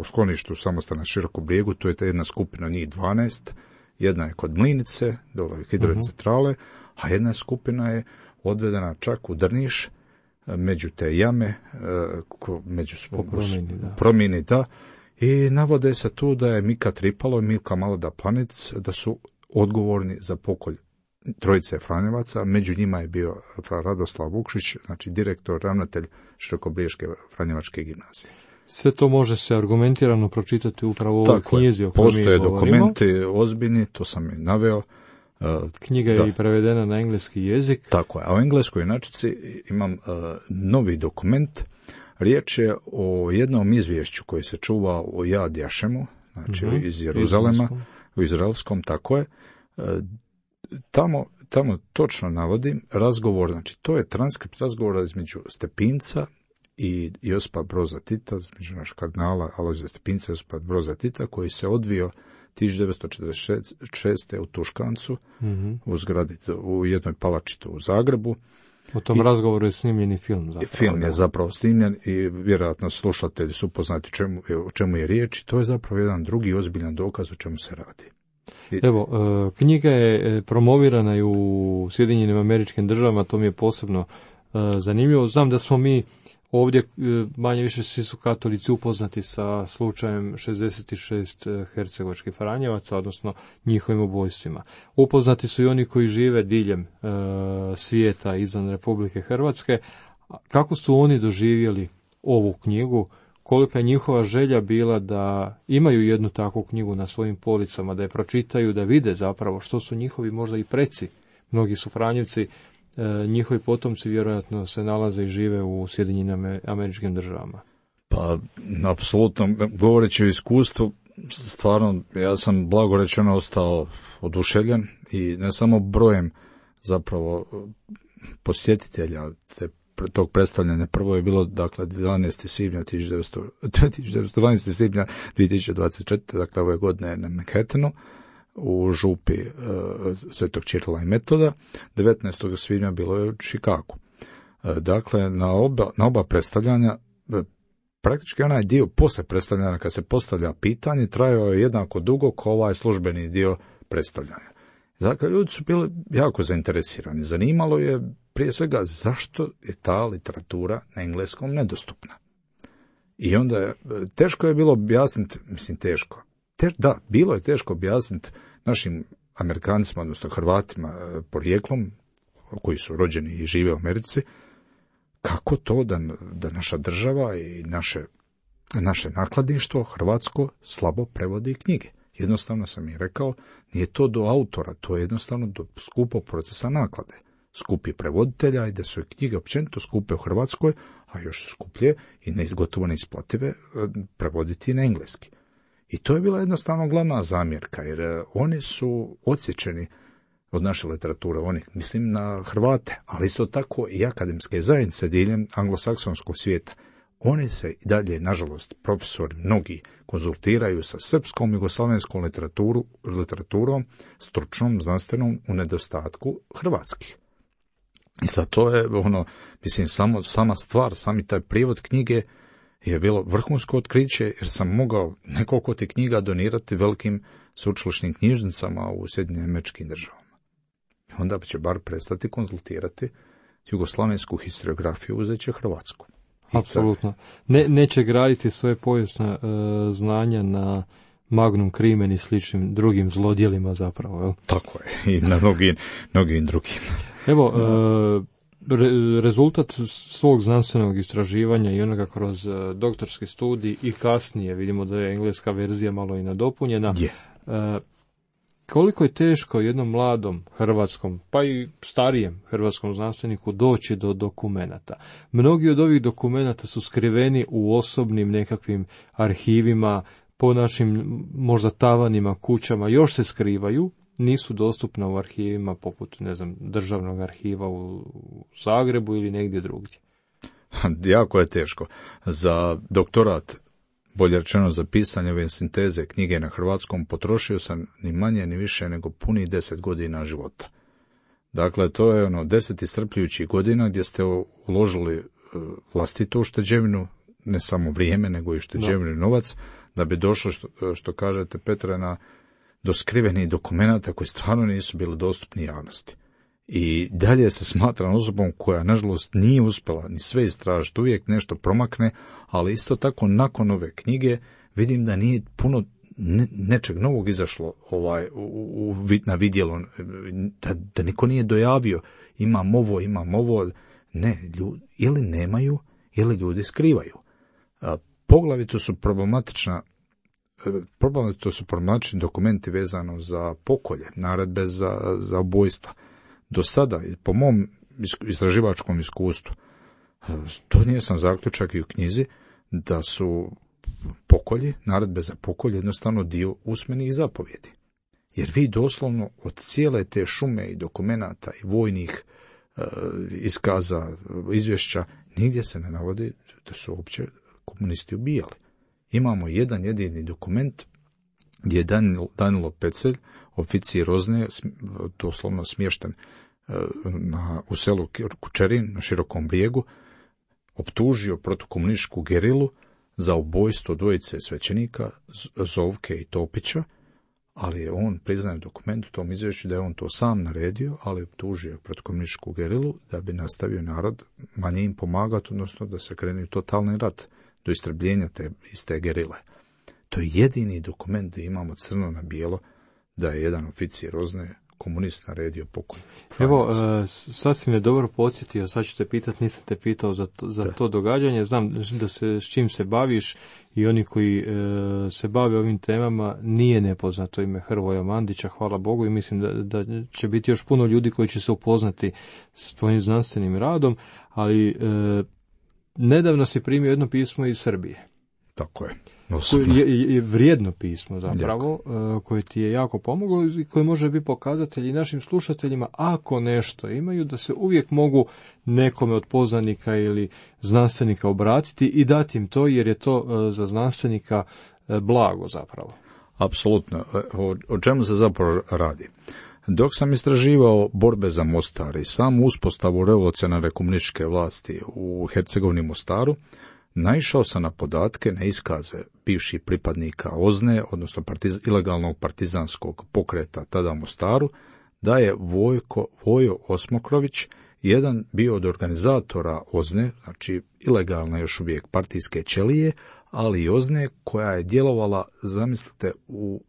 skloništu samostana Široko Brijegu, to je ta jedna skupina, njih 12, jedna je kod Mlinice, dole hidrocentrale, a jedna skupina je odvedena čak u Drniš, među te jame, među promjeni, da. I navode se tu da je Mika Tripalo i Milka Maloda Planec, da su odgovorni za pokolj trojice Franjevaca, među njima je bio Radoslav Vukšić, znači direktor, ravnatelj Širokobriješke Franjevačke gimnazije. Sve to može se argumentirano pročitati upravo u ovoj knjizi o kojoj mi postoje govorimo. Dokumenti ozbiljni, to sam i naveo. Knjiga je i prevedena na engleski jezik. Tako je, a u engleskoj inačici imam novi dokument. Riječ je o jednom izvješću koji se čuva u Jad Jašemu, znači iz Jeruzalema, u izraelskom, tako je. Tamo točno navodim razgovor, znači to je transkript razgovora između Stepinca i Josipa Broza Tita, između našeg kardinala Alojzija Stepinca i Josipa Broza Tita, koji se odvio 1946. u Tuškancu, u zgradi, u jednoj palači u Zagrebu. O tom razgovoru je snimljeni film. Zapravo, film je zapravo snimljen i vjerojatno slušatelji su upoznati o čemu je riječ. To je zapravo jedan drugi ozbiljan dokaz o čemu se radi. Evo, knjiga je promovirana i u Sjedinjenim Američkim Državama, to mi je posebno zanimljivo. Znam da smo mi ovdje, manje više svi su katolici upoznati sa slučajem 66 hercegovačkih Franjevaca, odnosno njihovim ubojstvima. Upoznati su i oni koji žive diljem svijeta izvan Republike Hrvatske. Kako su oni doživjeli ovu knjigu? Kolika je njihova želja bila da imaju jednu takvu knjigu na svojim policama, da je pročitaju, da vide zapravo što su njihovi možda i preci. Mnogi su Franjevci, njihovi potomci vjerojatno se nalaze i žive u Sjedinjenim Američkim Državama. Pa, apsolutno, govoreći o iskustvu, stvarno, ja sam blago rečeno ostao oduševljen i ne samo brojem zapravo posjetitelja tog predstavljanja. Prvo je bilo, dakle, 12. svibnja 12. svibnja 2024. dakle, ove godine na Manhattanu, u župi Svetog Čirila i Metoda. 19. svibnja bilo je u Chicagu. Dakle, na oba predstavljanja, praktički onaj dio posle predstavljanja, kad se postavlja pitanje, trajao je jednako dugo kao ovaj službeni dio predstavljanja. Dakle, ljudi su bili jako zainteresirani. Zanimalo je prije svega zašto je ta literatura na engleskom nedostupna. I onda teško je bilo objasniti, bilo je teško objasniti našim Amerikancima, odnosno Hrvatima porijeklom, koji su rođeni i žive u Americi, kako to da naša država i naše nakladništvo hrvatsko slabo prevodi knjige. Jednostavno sam i rekao, nije to do autora, to je jednostavno do skupog procesa naklade. Skupi prevoditelja i da su knjige općenito skupe u Hrvatskoj, a još su skuplje i gotovo neisplative prevoditi na engleski. I to je bila jednostavno glavna zamjerka, jer oni su odsječeni od naše literature, oni, mislim na Hrvate, ali isto tako i akademske zajednice diljem anglosaksonskog svijeta. Oni se i dalje, nažalost, profesori mnogi konzultiraju sa srpskom jugoslavenskom literaturom, stručnom, znanstvenom, u nedostatku hrvatskih. I sad to je, sama stvar, sami taj prijevod knjige je bilo vrhunsko otkriće, jer sam mogao nekoliko tih knjiga donirati velikim sveučilišnim knjižnicama u Sjedinjenim Američkim Državama. Onda će bar prestati konzultirati jugoslavensku historiografiju, uzet će hrvatsku. Apsolutno. Neće graditi svoje povijesna znanja na Magnum Crimen i sličnim drugim zlodjelima zapravo. Jel? Tako je, i na mnogim drugim. Evo, rezultat svog znanstvenog istraživanja i onoga kroz doktorski studij i kasnije, vidimo da je engleska verzija malo i nadopunjena, koliko je teško jednom mladom hrvatskom, pa i starijem hrvatskom znanstveniku doći do dokumenata. Mnogi od ovih dokumenata su skriveni u osobnim nekakvim arhivima, po našim možda tavanima, kućama, još se skrivaju, nisu dostupna u arhivima poput, ne znam, državnog arhiva u Zagrebu ili negdje drugdje. Jako je teško. Za doktorat, bolje rečeno za pisanje ove sinteze knjige na hrvatskom, potrošio sam ni manje ni više nego punih 10 godina života. Dakle, to je 10 iscrpljujućih godina gdje ste uložili vlastitu ušteđevinu, ne samo vrijeme, nego i ušteđevinu novac, da bi došlo, što kažete, Petre, do skrivenih dokumenata koji stvarno nisu bili dostupni javnosti. I dalje se smatram osobom koja, nažalost, nije uspjela ni sve istražiti, uvijek nešto promakne, ali isto tako nakon ove knjige vidim da nije puno nečeg novog izašlo na vidjelo, da niko nije dojavio imam ovo, ne, ili nemaju, ili ljudi skrivaju. Poglavito su problematični dokumenti vezano za pokolje, naredbe za ubojstva. Do sada, po mom istraživačkom iskustvu, to nije sam zaključak i u knjizi, da su pokolji, naredbe za pokolje, jednostavno dio usmenih zapovjedi. Jer vi doslovno od cijele te šume i dokumenata i vojnih iskaza, izvješća, nigdje se ne navodi da su uopće komunisti ubijali. Imamo jedan jedini dokument gdje je Danilo Pecelj, oficir Rozne, doslovno smješten u selu Kučerin na Širokom brijegu, optužio protukomunističku gerilu za ubojstvo dvojice svećenika, Zovke i Topića, ali je on priznaje u dokumentu, u tom izvješću, da je on to sam naredio, ali optužio protukomunističku gerilu da bi nastavio narod manje im pomagati, odnosno da se krene u totalni rat do istrebljenja te iste gerile. To je jedini dokument da imamo crno na bijelo da je jedan oficir Rozne komunist naredio pokolj. Evo, sasvim je dobro podsjetio, sad ću te pitati, nisam te pitao za to događanje, znam da se s čim se baviš i oni koji se bave ovim temama, nije nepoznato ime Hrvoja Mandića, hvala Bogu, i mislim da će biti još puno ljudi koji će se upoznati s tvojim znanstvenim radom, ali nedavno si primio jedno pismo iz Srbije. Tako je. Je vrijedno pismo zapravo, koje ti je jako pomoglo i koje može biti pokazatelj i našim slušateljima, ako nešto imaju, da se uvijek mogu nekome od poznanika ili znanstvenika obratiti i dati im to, jer je to za znanstvenika blago zapravo. Apsolutno. O čemu se zapravo radi? Dok sam istraživao borbe za Mostar i samu uspostavu revolucionarne komunističke vlasti u Hercegovini Mostaru, naišao sam na podatke, na iskaze bivših pripadnika OZNE, odnosno ilegalnog partizanskog pokreta tada u Mostaru, da je Vojo Osmokrović jedan bio od organizatora OZNE, znači ilegalne još uvijek partijske ćelije, ali i OZNE koja je djelovala, zamislite, u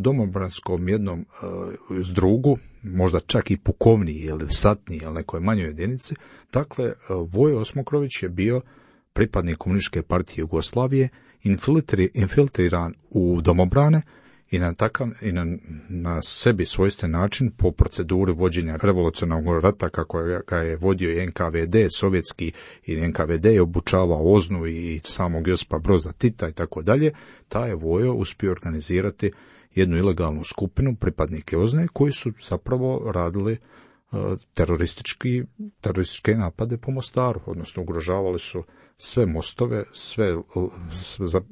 domobranskom jednom zdrugu, možda čak i pukovniji ili satniji ili nekoj manjoj jedinici. Dakle, Vojo Osmokrović je bio pripadnik Komunističke partije Jugoslavije, infiltriran u domobrane i na sebi svojstven način, po proceduri vođenja revolucionarnog rata kako ga je vodio i NKVD sovjetski, i NKVD je obučavao OZNU i samog Josipa Broza Tita i tako dalje, taj je Vojo uspio organizirati jednu ilegalnu skupinu, pripadnike OZNE, koji su zapravo radili terorističke napade po Mostaru, odnosno ugrožavali su sve mostove,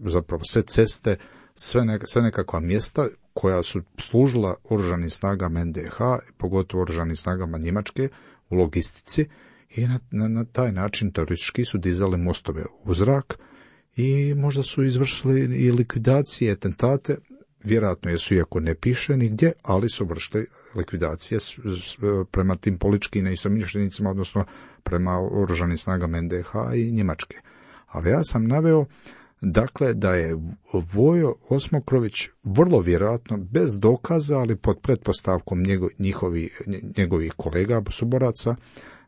zapravo sve ceste, sve nekakva mjesta koja su služila oružanim snagama NDH, pogotovo oružanim snagama Njemačke u logistici, i na taj način teroristički su dizali mostove u zrak i možda su izvršili i likvidacije, atentate, vjerojatno jesu, iako ne piše nigdje, ali su vršili likvidacije prema tim političkim neistomišljenicima, odnosno prema oružanim snagama NDH i Njemačke. Ali ja sam naveo, dakle, da je Vojo Osmokrović vrlo vjerojatno, bez dokaza, ali pod pretpostavkom njegovih kolega, suboraca,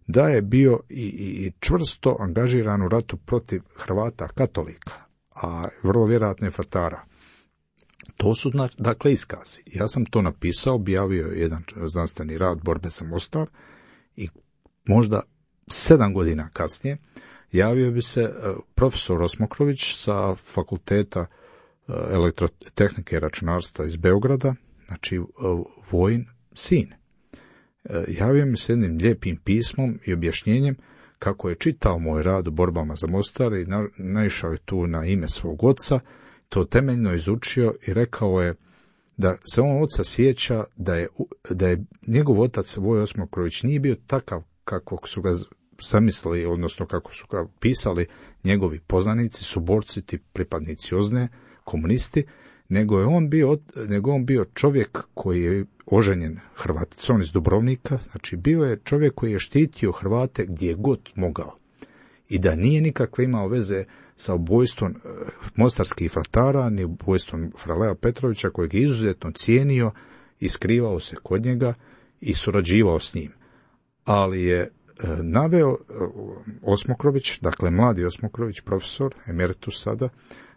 da je bio i čvrsto angažiran u ratu protiv Hrvata katolika, a vrlo vjerojatno i Fratara. To su dakle iskazi. Ja sam to napisao, objavio jedan znanstveni rad Borbe za Mostar i možda 7 godina kasnije javio bi se profesor Osmokrović sa fakulteta elektrotehnike i računarstva iz Beograda, znači Vojin sin. Javio mi se jednim lijepim pismom i objašnjenjem kako je čitao moj rad u Borbama za Mostar i naišao je tu na ime svog oca, to temeljno izučio i rekao je da se on oca sjeća da je njegov otac Voj Osmokrović nije bio takav kakvog su ga zamislili, odnosno kako su ga pisali njegovi poznanici, suborci, ti pripadnici OZNE, komunisti, nego je on bio čovjek koji je oženjen Hrvaticom iz Dubrovnika, znači bio je čovjek koji je štitio Hrvate gdje je god mogao i da nije nikakve imao veze sa ubojstvom mostarskih fratara, ni ubojstvom Fralea Petrovića, kojeg je izuzetno cijenio i skrivao se kod njega i surađivao s njim. Ali je naveo Osmokrović, dakle mladi Osmokrović, profesor, emeritus sada,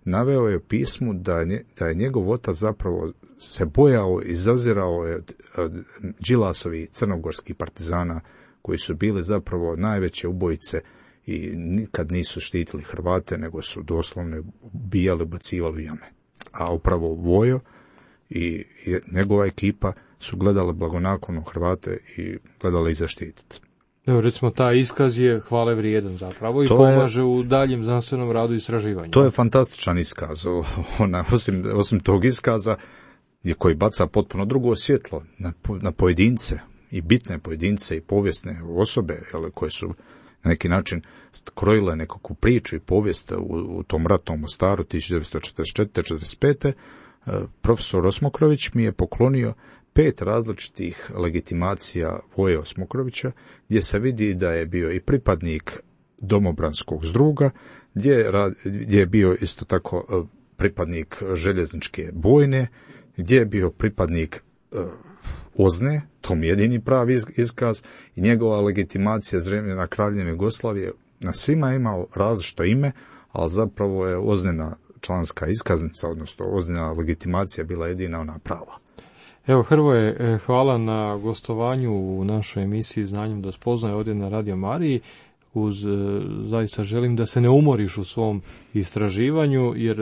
naveo je u pismu da je njegov otac zapravo se bojao i zazirao od Đilasovi crnogorskih partizana koji su bili zapravo najveće ubojice i nikad nisu štitili Hrvate, nego su doslovno ubijali, bacivali u jame. A upravo Vojo i njegova ekipa su gledali blagonaklono Hrvate i gledali ih zaštititi. Evo, recimo, taj iskaz je hvale vrijedan zapravo i pomaže u daljem znanstvenom radu i istraživanju. To je fantastičan iskaz. Osim tog iskaza koji baca potpuno drugo svjetlo na pojedince i bitne pojedince i povijesne osobe koje su na neki način krojile nekakvu priču i povijest u tom ratnom Mostaru 1944-45. Profesor Osmokrović mi je poklonio 5 različitih legitimacija Voje Osmokrovića, gdje se vidi da je bio i pripadnik domobranskog zdruga, gdje je bio isto tako pripadnik željezničke bojne, gdje je bio pripadnik OZNE, to mi je jedini pravi iskaz, i njegova legitimacija za vremena Kraljevine Jugoslavije na svima je imao različito ime, ali zapravo je OZNE-na članska iskaznica, odnosno OZNE-na legitimacija bila jedina ona prava. Evo, Hrvoje, hvala na gostovanju u našoj emisiji Znanjem do spoznaje ovdje na Radio Mariji. Zaista želim da se ne umoriš u svom istraživanju, jer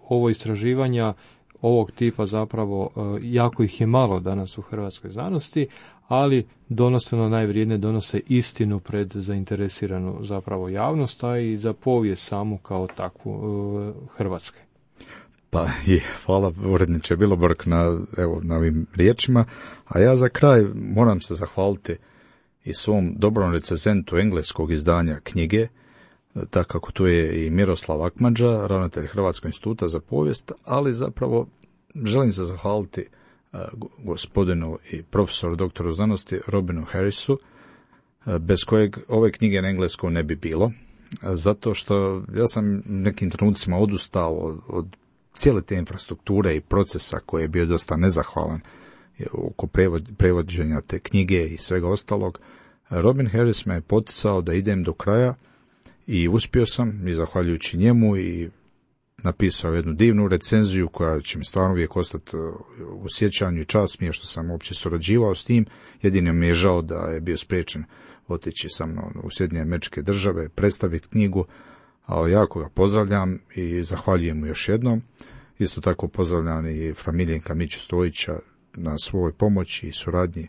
ovo istraživanja ovog tipa zapravo jako ih je malo danas u hrvatskoj znanosti, ali donosno najvrijednije donose istinu pred zainteresiranu zapravo javnost, a i za povijest samu kao takvu Hrvatske. Pa je, hvala uredniče Bilobrk na ovim riječima, a ja za kraj moram se zahvaliti i svom dobrom recenzentu engleskog izdanja knjige, kako tu je i Miroslav Akmadža, ravnatelj Hrvatskog instituta za povijest, ali zapravo želim se zahvaliti gospodinu i profesoru doktoru znanosti Robinu Harrisu, bez kojeg ove knjige na engleskom ne bi bilo, zato što ja sam nekim trenucima odustao od cijele te infrastrukture i procesa koji je bio dosta nezahvalan oko prevođenja te knjige i svega ostalog. Robin Harris me je poticao da idem do kraja i uspio sam, i zahvaljujući njemu, i napisao jednu divnu recenziju koja će mi stvarno uvijek ostati u sjećanju, i čast mi je što sam uopće surađivao s tim. Jedino mi je žao da je bio spriječen otići sa mnom u Sjedinjene Američke Države, predstaviti knjigu, ali jako ga pozdravljam i zahvaljujem mu još jednom. Isto tako pozdravljam i fra Miljenka Miću Stojića na svojoj pomoći i suradnji,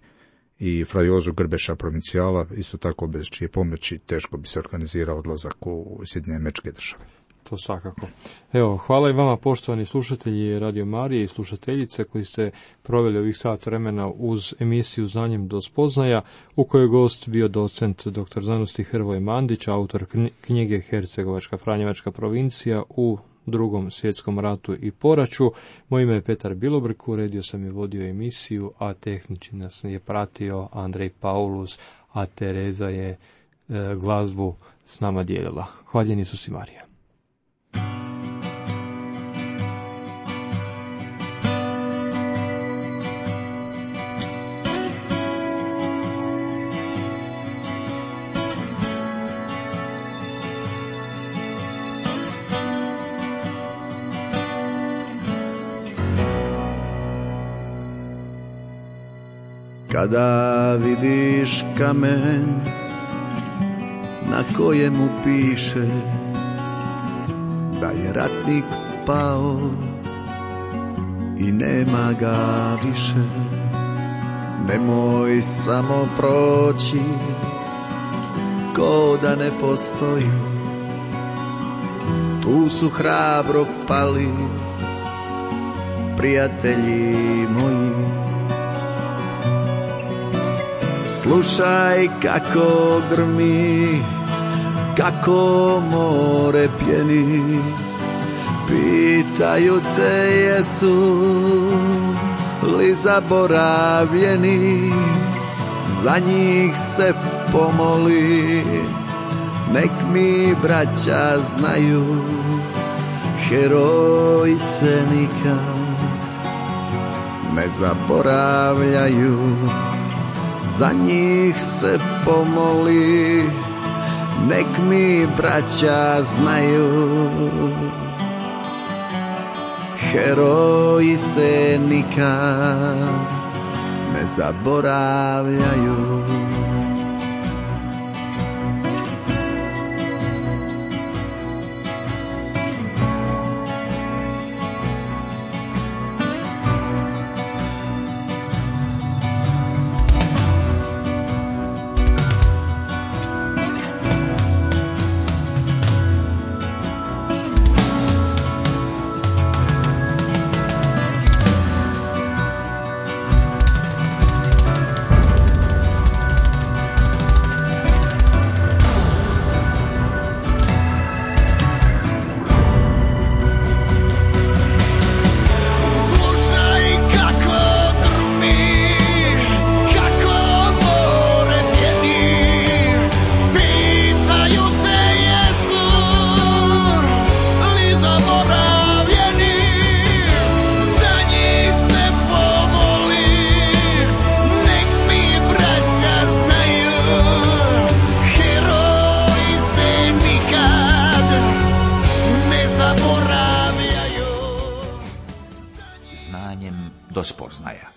i fra Jozu Grbeša provincijala, isto tako bez čije pomoći teško bi se organizirao odlazak u Sjedinjene Američke Države. To svakako. Evo, hvala i vama, poštovani slušatelji Radio Marije i slušateljice, koji ste proveli ovih sat vremena uz emisiju Znanjem do spoznaja, u kojoj je gost bio docent dr. znanosti Hrvoje Mandić, autor knjige Hercegovačka Franjevačka provincija u Drugom svjetskom ratu i poraću. Moje ime je Petar Bilobrk, uredio sam i vodio emisiju, a tehnički nas je pratio Andrej Paulus, a Tereza je glazbu s nama dijelila. Hvaljen Isus i Marija. Kada vidiš kamen na kojemu piše da je ratnik pao i nema ga više, nemoj samo proći ko da ne postoji. Tu su hrabro pali prijatelji moji. Slušaj kako grmi, kako more pjeni, pitaju te jesu li zaboravljeni, za njih se pomoli, nek mi braća znaju, heroji se nikad ne zaboravljaju, za njih se pomoli, nek mi braća znaju, heroji se nikad ne zaboravljaju. Do spoznaja.